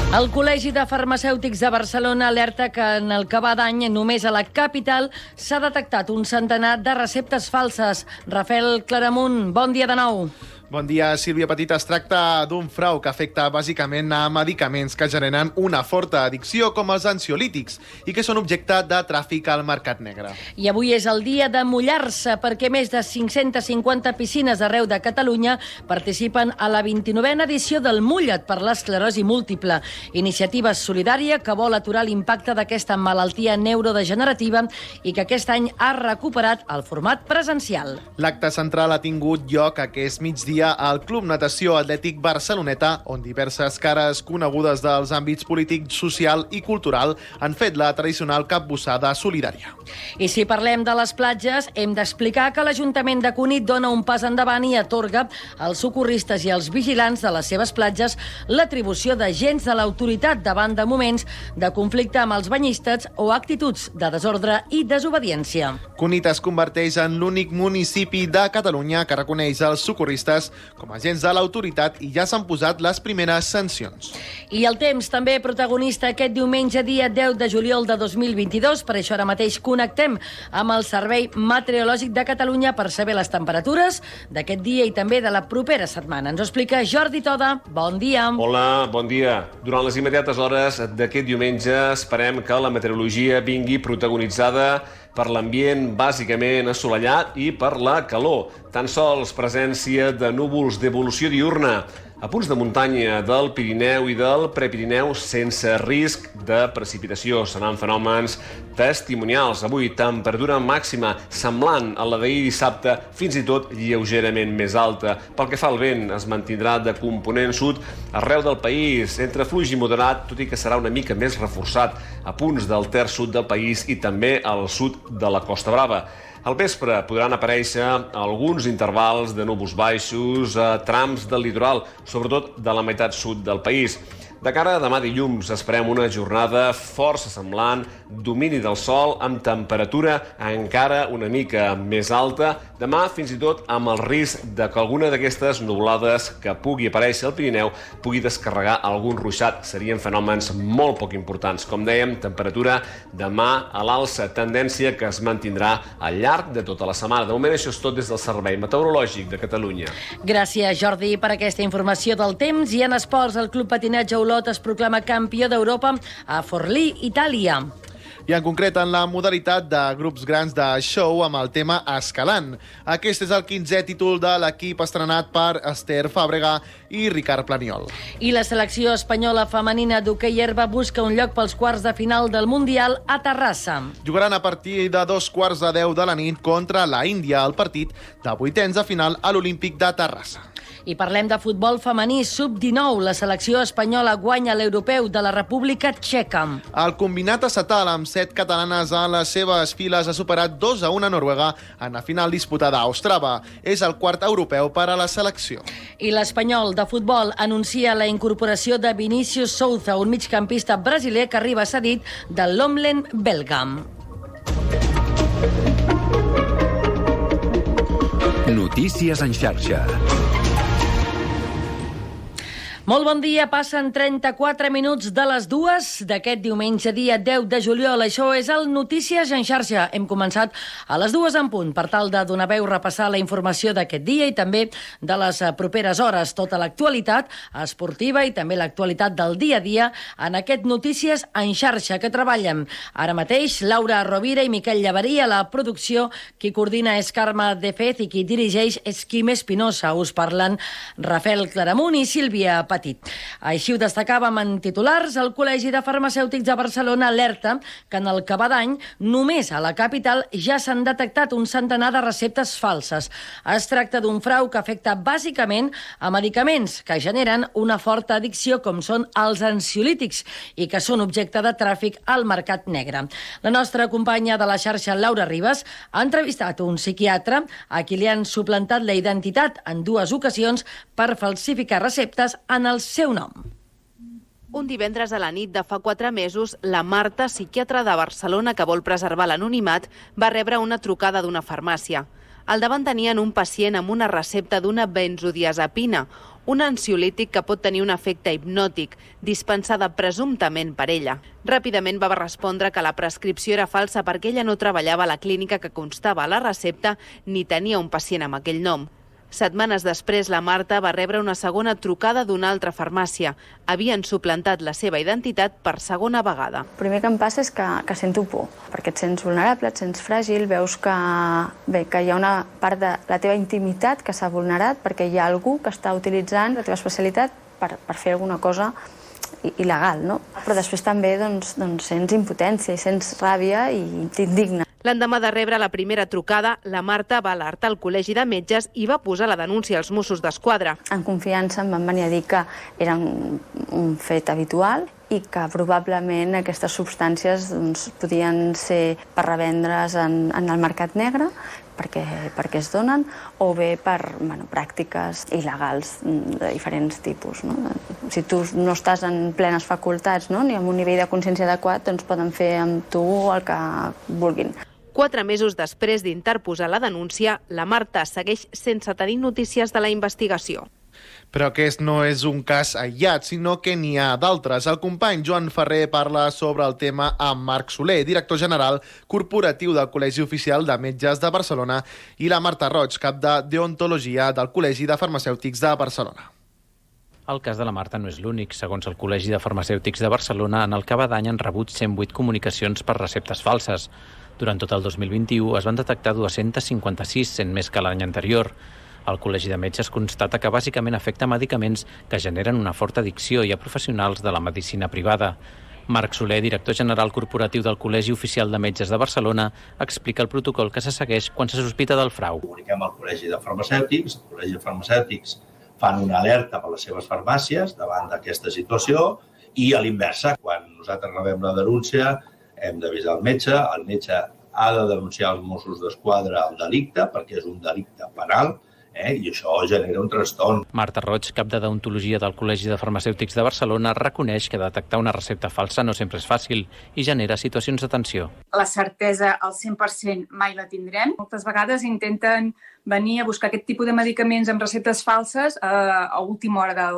El Col·legi de Farmacèutics de Barcelona alerta que en el que va d'any només a la capital s'ha detectat un centenar de receptes falses. Rafael Claramunt, bon dia de nou. Bon dia, Sílvia Petit. Es tracta d'un frau que afecta bàsicament a medicaments que generen una forta addicció, com els ansiolítics, i que són objecte de tràfic al mercat negre. I avui és el dia de mullar-se, perquè més de 550 piscines arreu de Catalunya participen a la 29a edició del Mulla't per l'esclerosi múltiple, iniciativa solidària que vol aturar l'impacte d'aquesta malaltia neurodegenerativa i que aquest any ha recuperat el format presencial. L'acte central ha tingut lloc aquest migdia al Club Natació Atlètic Barceloneta, on diverses cares conegudes dels àmbits polític, social i cultural han fet la tradicional capbussada solidària. I si parlem de les platges, hem d'explicar que l'Ajuntament de Cunit dona un pas endavant i atorga als socorristes i als vigilants de les seves platges l'atribució d'agents de l'autoritat davant de moments de conflicte amb els banyistes o actituds de desordre i desobediència. Cunit es converteix en l'únic municipi de Catalunya que reconeix els socorristes com a agents de l'autoritat i ja s'han posat les primeres sancions. I el temps també protagonista aquest diumenge, dia 10 de juliol de 2022. Per això ara mateix connectem amb el Servei Meteorològic de Catalunya per saber les temperatures d'aquest dia i també de la propera setmana. Ens ho explica Jordi Toda. Bon dia. Hola, bon dia. Durant les immediates hores d'aquest diumenge esperem que la meteorologia vingui protagonitzada per l'ambient bàsicament assolellat i per la calor. Tan sols presència de núvols d'evolució diurna a punts de muntanya del Pirineu i del Prepirineu sense risc de precipitació. Seran fenòmens testimonials. Avui, temperatura màxima semblant a la d'ahir dissabte, fins i tot lleugerament més alta. Pel que fa al vent, es mantindrà de component sud arreu del país, entre fluix i moderat, tot i que serà una mica més reforçat a punts del terç sud del país i també al sud de la Costa Brava. Al vespre podran aparèixer alguns intervals de núvols baixos a trams del litoral, sobretot de la meitat sud del país. De cara a demà dilluns esperem una jornada força semblant, domini del sol amb temperatura encara una mica més alta. Demà fins i tot amb el risc de que alguna d'aquestes nuvolades que pugui aparèixer al Pirineu pugui descarregar algun ruixat. Serien fenòmens molt poc importants. Com dèiem, temperatura demà a l'alça, tendència que es mantindrà al llarg de tota la setmana. De moment això és tot des del Servei Meteorològic de Catalunya. Gràcies, Jordi, per aquesta informació del temps. I en esports, el Club Patinatge Olot es proclama campió d'Europa a Forlì, Itàlia. I en concret en la modalitat de grups grans de show amb el tema Escalant. Aquest és el 15è títol de l'equip estrenat per Esther Fàbrega i Ricard Planiol. I la selecció espanyola femenina d'hoquei herba busca un lloc pels quarts de final del Mundial a Terrassa. Jugaran a partir de 2:15 de la nit contra la Índia, el partit de vuitens de final a l'Olímpic de Terrassa. I parlem de futbol femení sub-19. La selecció espanyola guanya l'europeu de la República Txeca. El combinat estatal amb 7 catalanes a les seves files ha superat 2-1 a Noruega en la final disputada a Ostrava. És el quart europeu per a la selecció. I l'Espanyol de futbol anuncia la incorporació de Vinícius Souza, un migcampista brasiler que arriba cedit del l'Omlen belga. Notícies en xarxa. Molt bon dia, passen 34 minuts de les 2 d'aquest diumenge, dia 10 de juliol. Això és el Notícies en xarxa. Hem començat a les 2 en punt per tal de donar veu, repassar la informació d'aquest dia i també de les properes hores. Tota l'actualitat esportiva i també l'actualitat del dia a dia en aquest Notícies en xarxa que treballen ara mateix Laura Rovira i Miquel Llaverí. A la producció, qui coordina és Carme de Fez i qui dirigeix és Quim Espinosa. Us parlen Rafael Claramunt i Sílvia Petit. Així ho destacàvem en titulars. El Col·legi de Farmacèutics de Barcelona alerta que en el que va d'any només a la capital ja s'han detectat un centenar de receptes falses. Es tracta d'un frau que afecta bàsicament a medicaments que generen una forta addicció com són els ansiolítics i que són objecte de tràfic al mercat negre. La nostra companya de la xarxa, Laura Ribas, ha entrevistat un psiquiatre a qui li han suplantat la identitat en 2 ocasions per falsificar receptes en el seu nom. Un divendres a la nit de fa 4 mesos, la Marta, psiquiatra de Barcelona que vol preservar l'anonimat, va rebre una trucada d'una farmàcia. Al davant tenien un pacient amb una recepta d'una benzodiazepina, un ansiolític que pot tenir un efecte hipnòtic, dispensada presumptament per ella. Ràpidament va respondre que la prescripció era falsa perquè ella no treballava a la clínica que constava a la recepta ni tenia un pacient amb aquell nom. Setmanes després, la Marta va rebre una segona trucada d'una altra farmàcia. Havien suplantat la seva identitat per segona vegada. El primer que em passa és que sento por, perquè et sents vulnerable, et sents fràgil, veus que hi ha una part de la teva intimitat que s'ha vulnerat perquè hi ha algú que està utilitzant la teva especialitat per fer alguna cosa il·legal, no? Però després també sents impotència i sents ràbia i t'indigna. L'endemà de rebre la primera trucada, la Marta va alertar el Col·legi de Metges i va posar la denúncia als Mossos d'Esquadra. En confiança em van venir a dir que era un fet habitual i que probablement aquestes substàncies podien ser per revendre's en el mercat negre, perquè es donen, o bé per pràctiques il·legals de diferents tipus. Si tu no estàs en plenes facultats ni amb un nivell de consciència adequat, doncs poden fer amb tu el que vulguin. 4 mesos després d'interposar la denúncia, la Marta segueix sense tenir notícies de la investigació. Però aquest no és un cas aïllat, sinó que n'hi ha d'altres. El company Joan Ferrer parla sobre el tema amb Marc Soler, director general corporatiu del Col·legi Oficial de Metges de Barcelona, i la Marta Roig, cap de Deontologia del Col·legi de Farmacèutics de Barcelona. El cas de la Marta no és l'únic. Segons el Col·legi de Farmacèutics de Barcelona, en el que va d'any han rebut 108 comunicacions per receptes falses. Durant tot el 2021 es van detectar 256, sent més que l'any anterior. El Col·legi de Metges constata que bàsicament afecta medicaments que generen una forta addicció i a professionals de la medicina privada. Marc Soler, director general corporatiu del Col·legi Oficial de Metges de Barcelona, explica el protocol que se segueix quan se sospita del frau. Comuniquem al Col·legi de Farmacèutics, el Col·legi de Farmacèutics fan una alerta per les seves farmàcies davant d'aquesta situació i a l'inversa, quan nosaltres rebem la denúncia, hem d'avisar el metge ha de denunciar als Mossos d'Esquadra el delicte, perquè és un delicte penal, i això genera un trastorn. Marta Roig, cap de Deontologia del Col·legi de Farmacèutics de Barcelona, reconeix que detectar una recepta falsa no sempre és fàcil i genera situacions de tensió. La certesa al 100% mai la tindrem. Moltes vegades intenten venir a buscar aquest tipus de medicaments amb receptes falses a última hora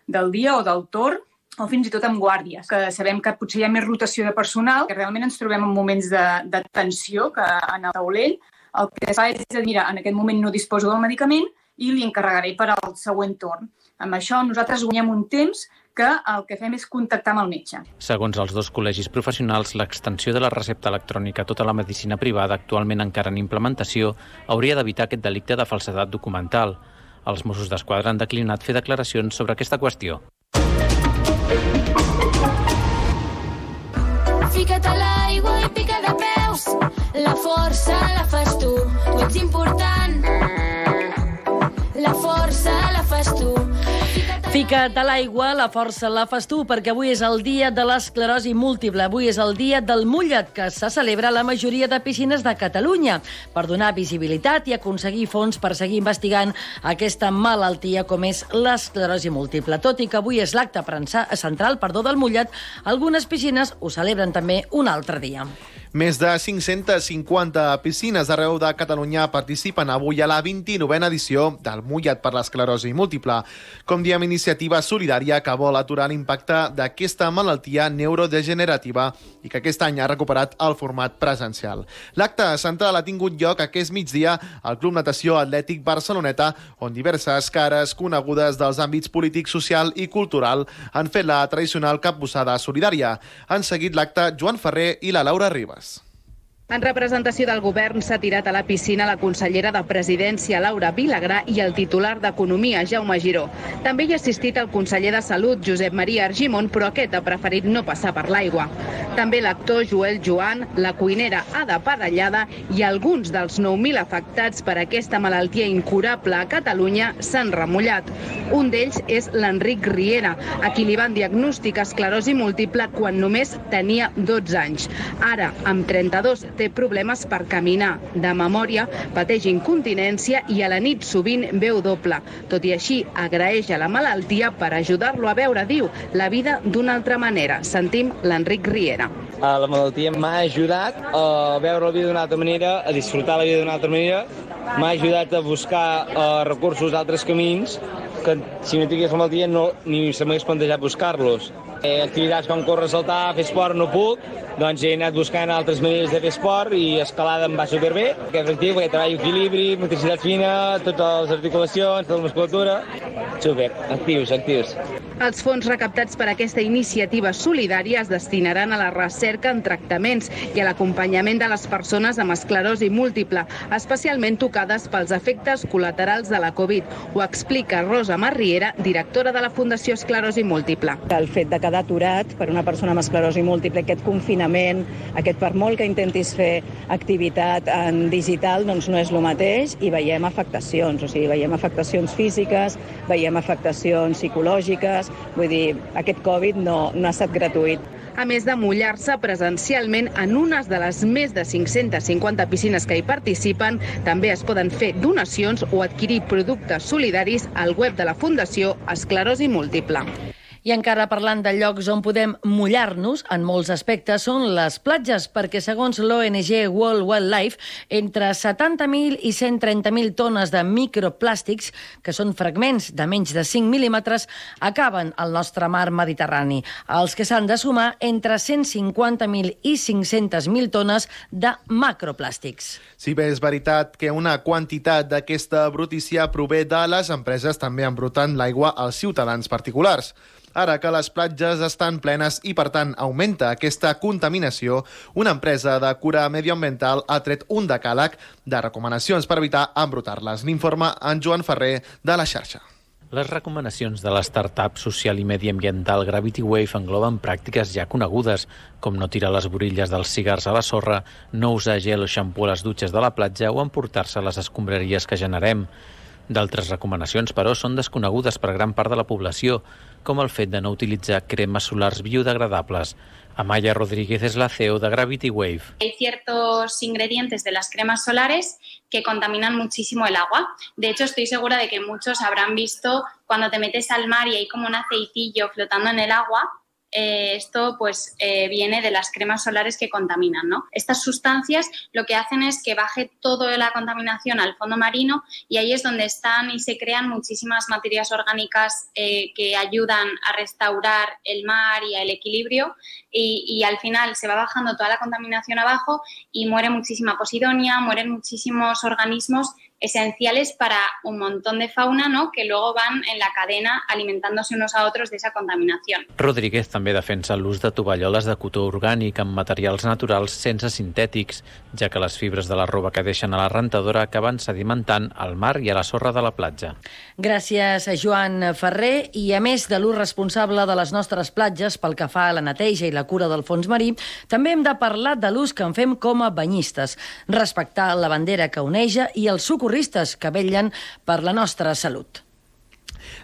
del dia o del torn, o fins i tot amb guàrdies, que sabem que potser hi ha més rotació de personal, que realment ens trobem en moments de tensió que en el taulell el que es fa és dir, mira, en aquest moment no disposo del medicament i li encarregaré per al següent torn. Amb això nosaltres guanyem un temps que el que fem és contactar amb el metge. Segons els 2 col·legis professionals, l'extensió de la recepta electrònica a tota la medicina privada, actualment encara en implementació, hauria d'evitar aquest delicte de falsedat documental. Els Mossos d'Esquadra han declinat fer declaracions sobre aquesta qüestió. Fica't a l'aigua i pica de peus. La força la fas tu ets important. La força la fas tu. Fica't a l'aigua, la força la fas tu, perquè avui és el dia de l'esclerosi múltiple. Avui és el dia del mullet, que se celebra a la majoria de piscines de Catalunya, per donar visibilitat i aconseguir fons per seguir investigant aquesta malaltia com és l'esclerosi múltiple. Tot i que avui és l'acte central del mullet, algunes piscines ho celebren també un altre dia. Més de 550 piscines arreu de Catalunya participen avui a la 29a edició del Mullat per l'esclerosi múltiple. Com diem, iniciativa solidària que vol aturar l'impacte d'aquesta malaltia neurodegenerativa i que aquest any ha recuperat el format presencial. L'acte central ha tingut lloc aquest migdia al Club Natació Atlètic Barceloneta, on diverses cares conegudes dels àmbits polític, social i cultural han fet la tradicional capbussada solidària. Han seguit l'acte Joan Ferrer i la Laura Ribas. En representació del govern s'ha tirat a la piscina la consellera de Presidència, Laura Vilagrà, i el titular d'Economia, Jaume Giró. També hi ha assistit el conseller de Salut, Josep Maria Argimon, però aquest ha preferit no passar per l'aigua. També l'actor Joel Joan, la cuinera Ada Padallada i alguns dels 9.000 afectats per aquesta malaltia incurable a Catalunya s'han remullat. Un d'ells és l'Enric Riera, a qui li van diagnosticar esclerosi múltiple quan només tenia 12 anys. Ara, amb 32, té problemes per caminar. De memòria, pateix incontinència i a la nit sovint veu doble. Tot i així, agraeix a la malaltia per ajudar-lo a veure, diu, la vida d'una altra manera. Sentim l'Enric Riera. La malaltia m'ha ajudat a veure la vida d'una altra manera, a disfrutar la vida d'una altra manera, m'ha ajudat a buscar recursos d'altres camins que si no tingués la malaltia ni se m'hagués plantejat buscar-los. Activitats com córrer, saltar, fer esport no puc, doncs he anat buscant altres maneres de fer esport i escalada em va superbé. Aquest actiu, perquè treballo equilibri, motricitat fina, totes les articulacions, tota la musculatura. Super, actius. Els fons recaptats per aquesta iniciativa solidària es destinaran a la recerca en tractaments i a l'acompanyament de les persones amb esclerosi múltiple, especialment tocades pels efectes col·laterals de la Covid. Ho explica Rosa Marriera, directora de la Fundació Esclerosi Múltiple. El fet de quedar aturat per una persona amb esclerosi múltiple, aquest confinament, aquest per molt que intentis fer activitat en digital, doncs no és el mateix i veiem afectacions, veiem afectacions físiques, veiem afectacions psicològiques, vull dir, aquest Covid no ha estat gratuït. A més de mullar-se presencialment en unes de les més de 550 piscines que hi participen, també es poden fer donacions o adquirir productes solidaris al web de la Fundació Esclerosi Múltiple. I encara parlant de llocs on podem mullar-nos, en molts aspectes, són les platges, perquè segons l'ONG World Wildlife, entre 70.000 i 130.000 tones de microplàstics, que són fragments de menys de 5 mil·límetres, acaben al nostre mar Mediterrani. Els que s'han de sumar entre 150.000 i 500.000 tones de macroplàstics. Si bé és veritat que una quantitat d'aquesta brutícia prové de les empreses, també embruten l'aigua als ciutadans particulars. Ara que les platges estan plenes i, per tant, augmenta aquesta contaminació, una empresa de cura medioambiental ha tret un decàleg de recomanacions per evitar embrutar-les. N'informa en Joan Ferrer de la xarxa. Les recomanacions de l'startup social i mediambiental Gravity Wave engloben pràctiques ja conegudes, com no tirar les borilles dels cigars a la sorra, no usar gel o xampú a les dutxes de la platja o emportar-se les escombraries que generem. D'altres recomanacions, però, són desconegudes per gran part de la població, com el fet de no utilitzar cremes solars biodegradables. Amaya Rodríguez es la CEO de Gravity Wave. Hay ciertos ingredientes de las cremas solares que contaminan muchísimo el agua. De hecho, estoy segura de que muchos habrán visto cuando te metes al mar y hay como un aceitillo flotando en el agua. Esto pues viene de las cremas solares que contaminan, ¿no? Estas sustancias lo que hacen es que baje toda la contaminación al fondo marino y ahí es donde están y se crean muchísimas materias orgánicas que ayudan a restaurar el mar y el equilibrio y al final se va bajando toda la contaminación abajo y muere muchísima posidonia, mueren muchísimos organismos esenciales para un montón de fauna, ¿no?, que luego van en la cadena alimentándose unos a otros de esa contaminación. Rodríguez també defensa l'ús de tovalloles de cotó orgànic amb materials naturals sense sintètics, ja que les fibres de la roba que deixen a la rentadora acaben sedimentant al mar i a la sorra de la platja. Gràcies a Joan Ferrer. I a més de l'ús responsable de les nostres platges pel que fa a la neteja i la cura del fons marí, també hem de parlar de l'ús que en fem com a banyistes, respectar la bandera que oneja i els socorristes que vetllen per la nostra salut.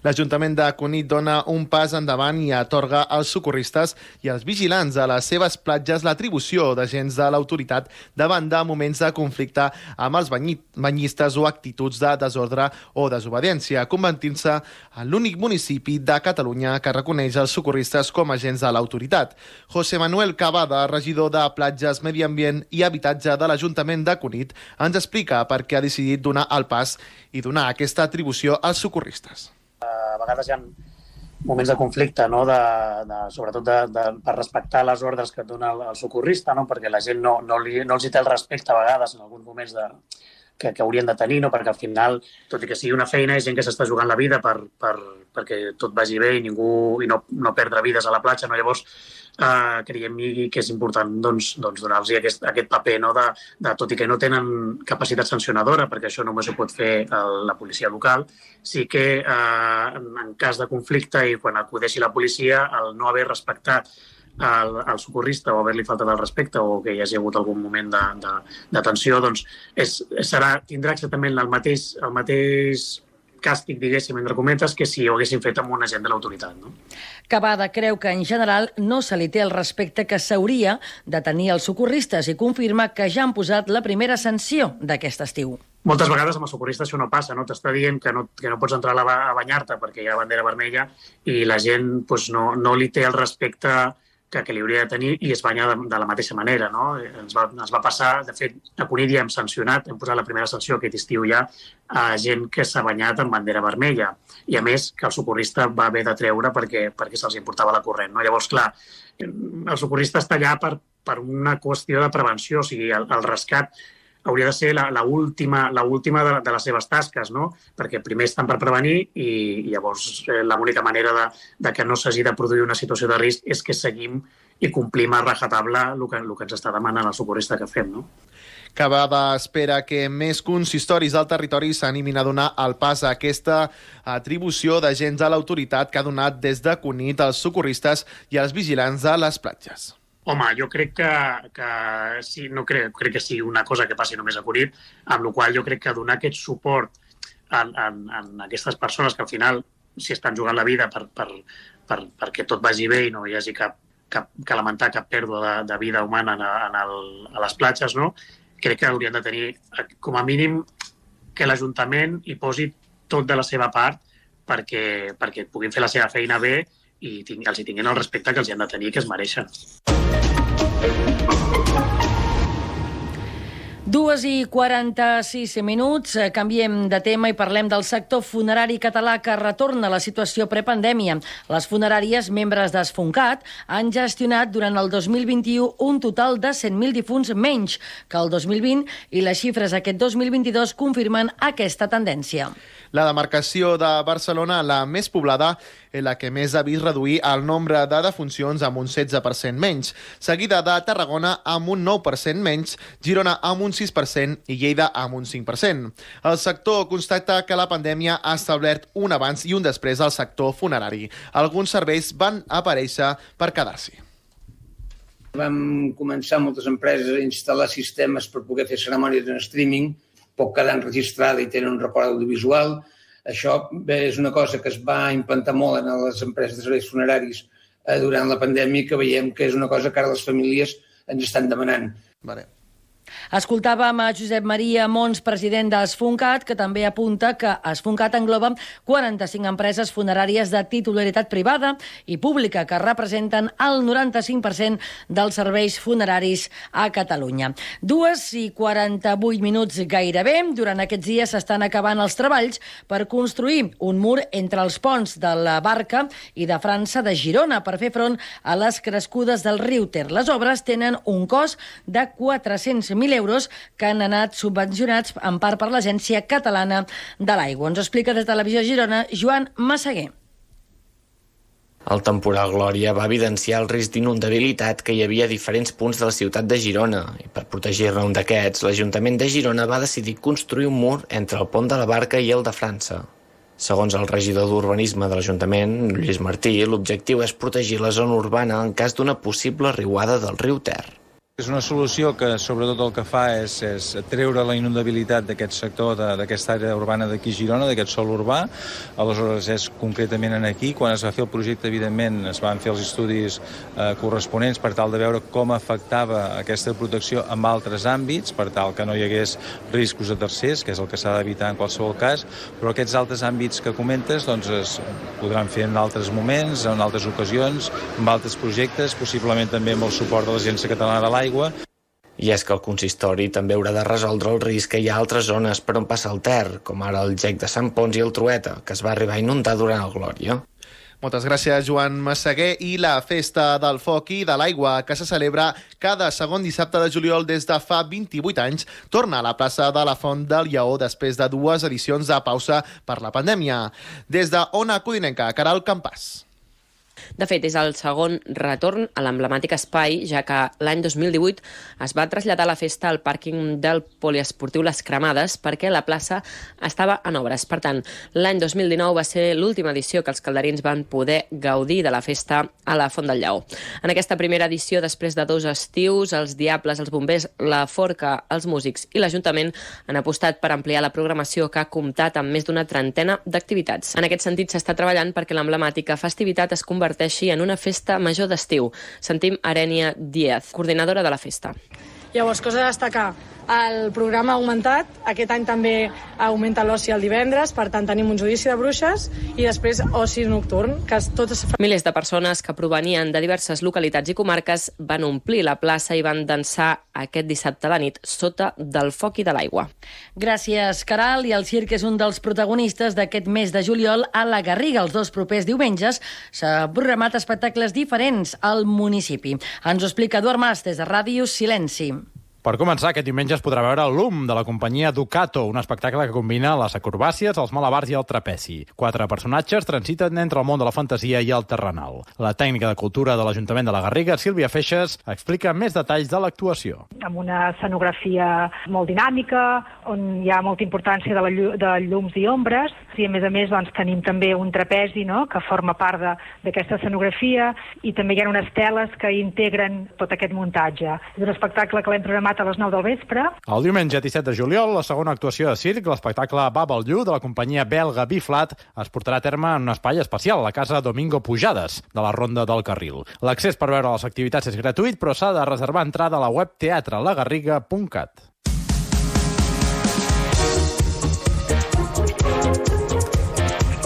L'Ajuntament de Cunit dona un pas endavant i atorga als socorristes i als vigilants a les seves platges l'atribució d'agents de l'autoritat davant de moments de conflicte amb els banyistes o actituds de desordre o desobediència, convertint-se en l'únic municipi de Catalunya que reconeix els socorristes com a agents de l'autoritat. José Manuel Cavada, regidor de Platges, Medi Ambient i Habitatge de l'Ajuntament de Cunit, ens explica per què ha decidit donar el pas i donar aquesta atribució als socorristes. A vegades hi ha moments de conflicte, no? Sobretot per respectar les ordres que et dona el socorrista, no? Perquè la gent no els hi té el respecte a vegades en alguns moments que haurien de tenir, no? Perquè al final, tot i que sigui una feina, hi ha gent que s'està jugant la vida perquè tot vagi bé i no perdre vides a la platja. No? Llavors, creiem que és important donar-los aquest paper, no? Tot i que no tenen capacitat sancionadora, perquè això només ho pot fer la policia local, sí que en cas de conflicte i quan acudeixi la policia, el no haver respectat el socorrista o haver-li faltat el respecte o que hi hagi hagut algun moment de tensió, doncs tindrà exactament el mateix càstig, diguéssim, entre cometes, que si ho haguessin fet amb un agent de l'autoritat. No? Cavada creu que en general no se li té el respecte que s'hauria de tenir als socorristes i confirma que ja han posat la primera sanció d'aquest estiu. Moltes vegades amb els socorristes això no passa, no? T'està dient que no pots entrar a banyar-te perquè hi ha bandera vermella i la gent no li té el respecte que li hauria de tenir i es banya de la mateixa manera. No? Ens va passar, de fet, a Cunit ja hem sancionat, hem posat la primera sanció aquest estiu ja a gent que s'ha banyat amb bandera vermella i a més que el socorrista va haver de treure perquè se'ls importava la corrent. No? Llavors, clar, el socorrista està allà per una qüestió de prevenció, o sigui, el rescat hauria de ser l'última de les seves tasques, no? Perquè primer estan per prevenir i llavors l'única manera de que no s'hagi de produir una situació de risc és que seguim i complim a rajatabla el que ens està demanant el socorrista que fem, no? Cavada espera que més consistoris del territori s'animin a donar el pas a aquesta atribució d'agents de l'autoritat que ha donat des de Cunit als socorristes i als vigilants de les platges. Home, jo crec que sí, no crec que sigui una cosa que passi només a Cunit, amb la qual jo crec que donar aquest suport a aquestes persones que al final s'hi estan jugant la vida perquè tot vagi bé i no hi hagi que lamentar cap pèrdua de vida humana a les platges, no? Crec que haurien de tenir, com a mínim, que l'Ajuntament hi posi tot de la seva part perquè puguin fer la seva feina bé i els hi tinguin el respecte que els hi han de tenir i que es mereixen. 2:46, canviem de tema i parlem del sector funerari català que retorna a la situació prepandèmia. Les funeràries, membres d'Esfuncat, han gestionat durant el 2021 un total de 100.000 difunts menys que el 2020 i les xifres aquest 2022 confirmen aquesta tendència. La demarcació de Barcelona, la més poblada, és la que més ha vist reduir el nombre de defuncions amb un 16% menys, seguida de Tarragona amb un 9% menys, Girona amb un 6% i Lleida amb un 5%. El sector constata que la pandèmia ha establert un abans i un després al sector funerari. Alguns serveis van aparèixer per quedar-s'hi. Vam començar moltes empreses a instal·lar sistemes per poder fer cerimònies en streaming, pot quedar enregistrada i tenen un record audiovisual. Això és una cosa que es va implantar molt en les empreses de serveis funeraris durant la pandèmia, que veiem que és una cosa que ara les famílies ens estan demanant. Vale. Escoltàvem a Josep Maria Mons, president d'Esfuncat, que també apunta que Esfuncat engloba 45 empreses funeràries de titularitat privada i pública que representen el 95% dels serveis funeraris a Catalunya. 2:48 gairebé. Durant aquests dies s'estan acabant els treballs per construir un mur entre els ponts de la Barca i de França de Girona per fer front a les crescudes del riu Ter. Les obres tenen un cost de 400.000 euros que han anat subvencionats en part per l'Agència Catalana de l'Aigua. Ens explica des de Televisió Girona Joan Massaguer. El temporal Glòria va evidenciar el risc d'inundabilitat que hi havia a diferents punts de la ciutat de Girona i per protegir-ne un d'aquests, l'Ajuntament de Girona va decidir construir un mur entre el pont de la Barca i el de França. Segons el regidor d'Urbanisme de l'Ajuntament, Lluís Martí, l'objectiu és protegir la zona urbana en cas d'una possible riuada del riu Ter. És una solució que sobretot el que fa és treure la inundabilitat d'aquest sector, d'aquesta àrea urbana d'aquí Girona, d'aquest sòl urbà. Aleshores és concretament aquí. Quan es va fer el projecte, evidentment, es van fer els estudis corresponents per tal de veure com afectava aquesta protecció en altres àmbits, per tal que no hi hagués riscos a tercers, que és el que s'ha d'evitar en qualsevol cas, però aquests altres àmbits que comentes doncs, es podran fer en altres moments, en altres ocasions, en altres projectes, possiblement també amb el suport de l'Agència Catalana de l'Aigua. I és que el consistori també haurà de resoldre el risc que hi ha a altres zones per on passa el Ter, com ara el gec de Sant Pons i el Trueta, que es va arribar a inundar durant el Glòria. Moltes gràcies, Joan Massaguer. I la Festa del Foc i de l'Aigua, que se celebra cada segon dissabte de juliol des de fa 28 anys, torna a la plaça de la Font del Lleó després de 2 edicions de pausa per la pandèmia. Des de Ona Codinenca, Caral Campàs. De fet, és el segon retorn a l'emblemàtic espai, ja que l'any 2018 es va traslladar la festa al pàrquing del poliesportiu Les Cremades perquè la plaça estava en obres. Per tant, l'any 2019 va ser l'última edició que els calderins van poder gaudir de la festa a la Font del Lleó. En aquesta primera edició, després de 2 estius, els Diables, els Bombers, la Forca, els músics i l'Ajuntament han apostat per ampliar la programació, que ha comptat amb més d'una trentena d'activitats. En aquest sentit, s'està treballant perquè l'emblemàtica festivitat es converteixi en una festa major d'estiu. Sentim Arènia Díaz, coordinadora de la festa. Llavors, cosa a destacar, el programa ha augmentat, aquest any també augmenta l'oci el divendres, per tant tenim un judici de bruixes i després oci nocturn, que tots... Milers de persones que provenien de diverses localitats i comarques van omplir la plaça i van dansar aquest dissabte a la nit sota del foc i de l'aigua. Gràcies, Caral. I el circ és un dels protagonistes d'aquest mes de juliol a la Garriga. Els 2 propers diumenges s'ha programat espectacles diferents al municipi. Ens ho explica Eduard Mas des de Ràdio Silenci. Per començar, aquest diumenge es podrà veure l'UM de la companyia Ducato, un espectacle que combina les acrobàcies, els malabars i el trapezi. 4 personatges transiten entre el món de la fantasia i el terrenal. La tècnica de cultura de l'Ajuntament de la Garriga, Sílvia Feixes, explica més detalls de l'actuació. Amb una escenografia molt dinàmica, on hi ha molta importància de llums i ombres, i a més doncs, tenim també un trapezi, no?, que forma part d'aquesta escenografia, i també hi ha unes teles que integren tot aquest muntatge. És un espectacle que l'hem programat a les 9 del vespre. El diumenge 17 de juliol, la segona actuació de circ, l'espectacle Bubble You, de la companyia belga Biflat, es portarà a terme en un espai especial, la Casa Domingo Pujades, de la Ronda del Carril. L'accés per veure les activitats és gratuït, però s'ha de reservar entrada a la web teatrelagarriga.cat.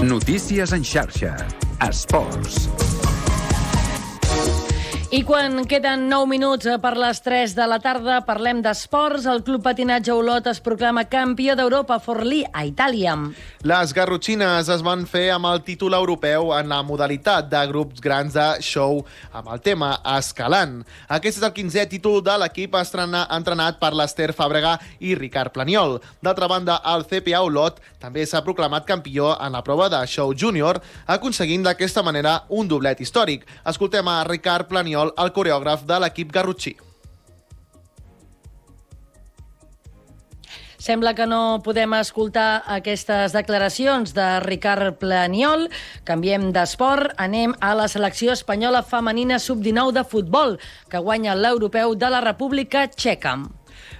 Notícies en xarxa. Esports. I quan queden 9 minuts per les 3 de la tarda, parlem d'esports. El Club Patinatge Olot es proclama campió d'Europa Forlì a Itàlia. Les garrotxines es van fer amb el títol europeu en la modalitat de grups grans de show amb el tema Escalant. Aquest és el 15è títol de l'equip entrenat per l'Ester Fàbrega i Ricard Planiol. D'altra banda, el CPA Olot també s'ha proclamat campió en la prova de show júnior, aconseguint d'aquesta manera un doblet històric. Escoltem a Ricard Planiol, el coreògraf de l'equip garrotxí. Sembla que no podem escoltar aquestes declaracions de Ricard Planiol. Canviem d'esport, anem a la selecció espanyola femenina sub-19 de futbol, que guanya l'europeu de la República Txeca.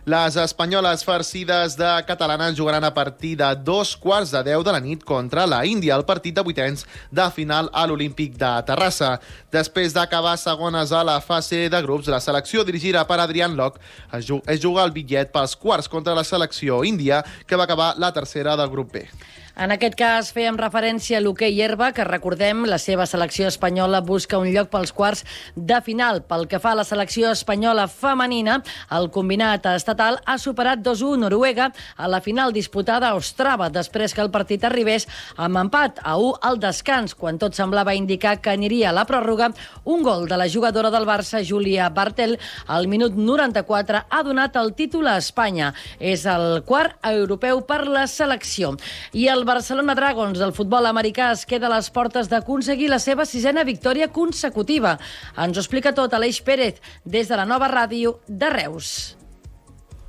Les espanyoles farcides de catalanes jugaran a partir de 2:15 de la nit contra la Índia, el partit de vuitens de final a l'Olímpic de Terrassa. Després d'acabar segones a la fase de grups, la selecció dirigida per Adrián Lok es juga el bitllet pels quarts contra la selecció índia, que va acabar la tercera del grup B. En aquest cas fèiem referència a l'hoquei herba, que recordem, la seva selecció espanyola busca un lloc pels quarts de final. Pel que fa a la selecció espanyola femenina, el combinat estatal ha superat 2-1 Noruega a la final disputada a Ostrava, després que el partit arribés amb empat a 1 al descans, quan tot semblava indicar que aniria a la pròrroga. Un gol de la jugadora del Barça, Júlia Bartel, al minut 94 ha donat el títol a Espanya. És el quart europeu per la selecció. I el Barcelona Dragons del futbol americà es queda a les portes d'aconseguir la seva 6a victòria consecutiva. Ens ho explica tot Aleix Pérez des de la nova ràdio de Reus.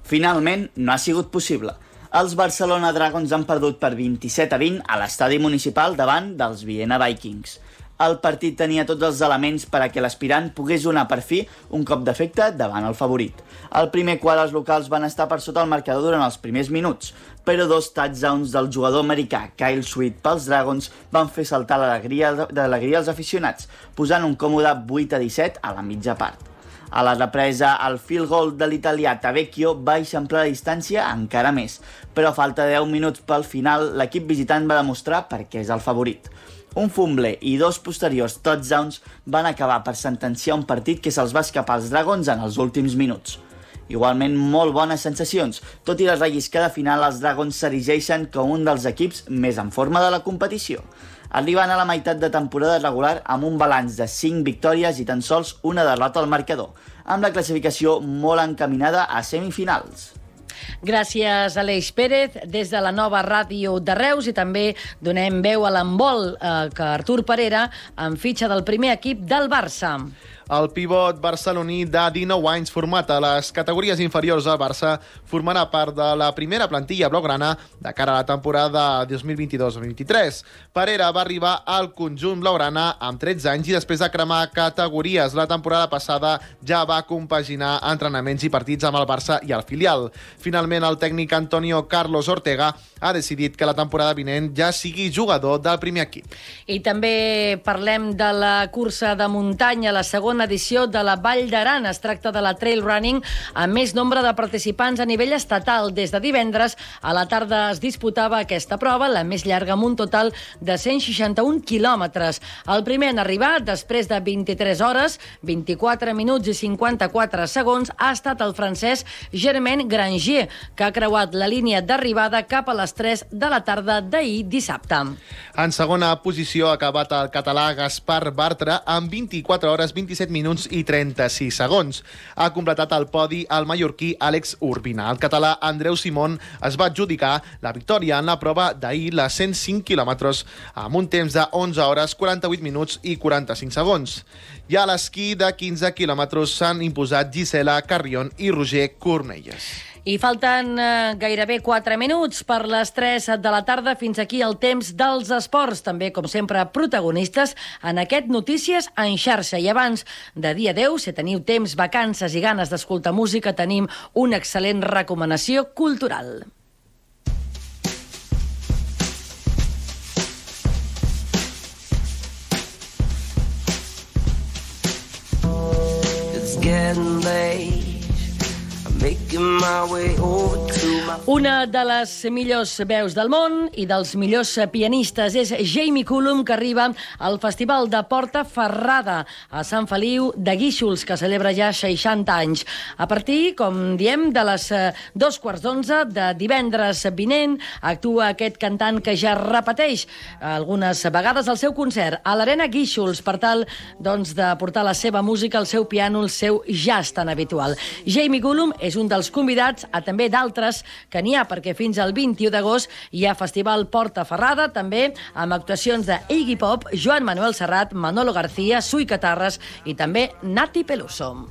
Finalment, no ha sigut possible. Els Barcelona Dragons han perdut per 27-20 a l'estadi municipal davant dels Viena Vikings. El partit tenia tots els elements per a que l'aspirant pogués donar per fi un cop d'efecte davant el favorit. Al primer quart els locals van estar per sota el marcador durant els primers minuts, però 2 touchdowns del jugador americà Kyle Sweet pels Dragons van fer saltar l'alegria als aficionats, posant un còmode 8-17 a la mitja part. A la represa, el field goal de l'italià Tavecchio va eixamplar la distància encara més, però a falta de 10 minuts pel final, l'equip visitant va demostrar per què és el favorit. Un fumble i 2 posteriors touchdowns van acabar per sentenciar un partit que se'ls va escapar als Dragons en els últims minuts. Igualment, molt bones sensacions. Tot i la relliscada final, els Dragons s'erigeixen com un dels equips més en forma de la competició, arribant a la meitat de temporada regular amb un balanç de 5 victòries i tan sols una derrota al marcador, amb la classificació molt encaminada a semifinals. Gràcies, Aleix Pérez, des de la nova ràdio de Reus, i també donem veu a l'handbol, que Artur Parera en fitxa del primer equip del Barça. El pivot barceloní de 19 anys format a les categories inferiors del Barça formarà part de la primera plantilla blaugrana de cara a la temporada 2022-2023. Parera va arribar al conjunt blaugrana amb 13 anys i després de cremar categories la temporada passada ja va compaginar entrenaments i partits amb el Barça i el filial. Finalment, el tècnic Antonio Carlos Ortega ha decidit que la temporada vinent ja sigui jugador del primer equip. I també parlem de la cursa de muntanya, la segona edició de la Vall d'Aran. Es tracta de la trail running amb més nombre de participants a nivell estatal. Des de divendres a la tarda es disputava aquesta prova, la més llarga, amb un total de 161 quilòmetres. El primer en arribar, després de 23 hores, 24 minuts i 54 segons, ha estat el francès Germain Granger, que ha creuat la línia d'arribada cap a les 3 de la tarda d'ahir dissabte. En segona posició ha acabat el català Gaspar Bartra amb 24 hores, 27 minuts i 36 segons. Ha completat el podi el mallorquí Àlex Urbina. El català Andreu Simón es va adjudicar la victòria en la prova d'ahir, la 105 quilòmetres, amb un temps de 11 hores, 48 minuts i 45 segons. I a l'esquí de 15 quilòmetres s'han imposat Gisela Carrion i Roger Cornelles. I falten gairebé 4 minuts per les 3 de la tarda. Fins aquí el temps dels esports. També, com sempre, protagonistes en aquest Notícies en xarxa. I abans de dir adeu, si teniu temps, vacances i ganes d'escoltar música, tenim una excel·lent recomanació cultural. It's getting late. Una de les millors veus del món i dels millors pianistes és Jamie Cullum, que arriba al Festival de Portaferrada a Sant Feliu de Guíxols, que celebra ja 60 anys. A partir, com diem, de les 11:15 de divendres vinent, actua aquest cantant que ja repeteix algunes vegades el seu concert a l'Arena Guíxols per tal, doncs, de portar la seva música, el seu piano, el seu jazz tan habitual. Jamie Cullum és un dels convidats, a també d'altres que n'hi ha, perquè fins al 21 d'agost hi ha Festival Portaferrada, també amb actuacions de Iggy Pop, Joan Manuel Serrat, Manolo García, Sui Catarres i també Nati Peluso.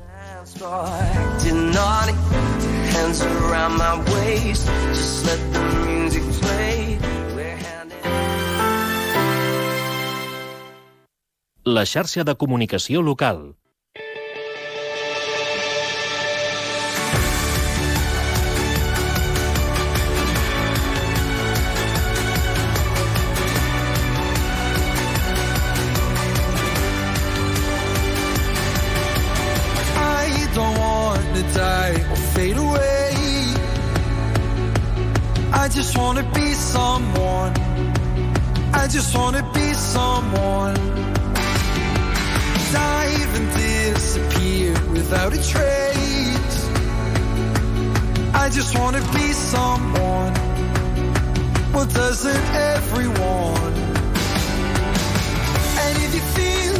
La xarxa de comunicació local. Fade away. I just wanna be someone. I just wanna be someone. Dive and disappear without a trace. I just wanna be someone. Well, doesn't everyone? And if you feel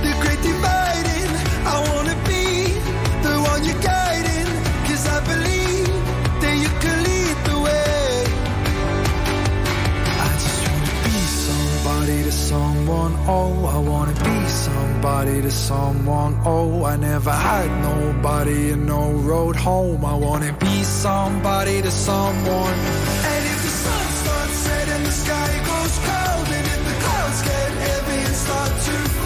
the great dividing, I wanna be the one you're guiding. I believe that you can lead the way. I just wanna be somebody to someone. Oh, I wanna be somebody to someone. Oh, I never had nobody and no road home. I wanna be somebody to someone. And if the sun starts setting, the sky goes cold, and if the clouds get heavy and start to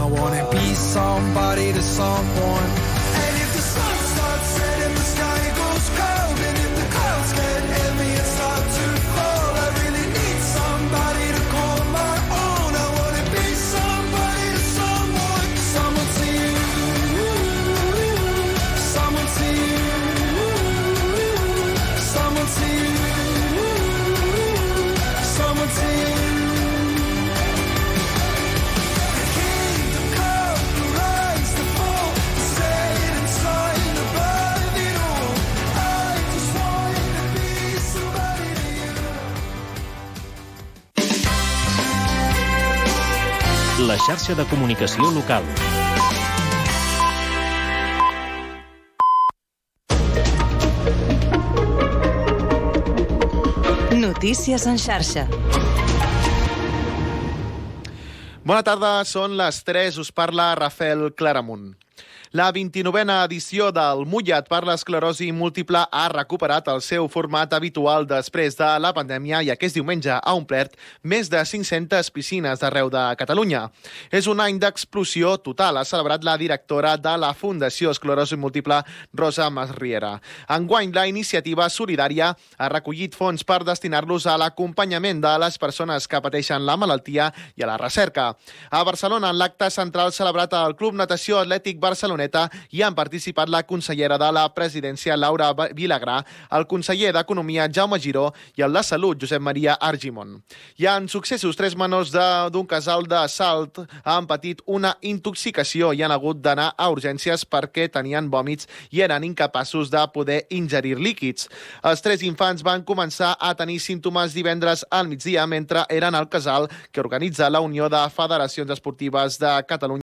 I wanna be somebody to someone. And if the sun starts setting, the sky goes cold, and if the clouds get heavy and start to fall, I really need somebody to call my own. I wanna be somebody to someone. Someone to you, someone to you, someone to you, someone to you. The kingdom come, the rise, the fall, the set inside above it all. I just wanna be somebody to you. La xarxa de comunicació local. Notícies en xarxa. Bona tarda, són les 3, us parla Rafael Claramunt. La 29a edició del Mullat per l'esclerosi múltiple ha recuperat el seu format habitual després de la pandèmia i aquest diumenge ha omplert més de 500 piscines d'arreu de Catalunya. És un any d'explosió total, ha celebrat la directora de la Fundació Esclerosi Múltiple, Rosa Masriera. Enguany, la iniciativa solidària ha recollit fons per destinar-los a l'acompanyament de les persones que pateixen la malaltia i a la recerca. A Barcelona, en l'acte central celebrat al Club Natació Atlètic Barceloneta, hi han participat la consellera de la Presidència, Laura Vilagrà, el conseller d'Economia, Jaume Giró, i el de Salut, Josep Maria Argimon. Hi ha successos, 3 menors d'un casal de Salt han patit una intoxicació i han hagut d'anar a urgències perquè tenien vòmits i eren incapaços de poder ingerir líquids. Els 3 infants van començar a tenir símptomes divendres al migdia mentre eren al casal que organitza la Unió de Federacions Esportives de Catalunya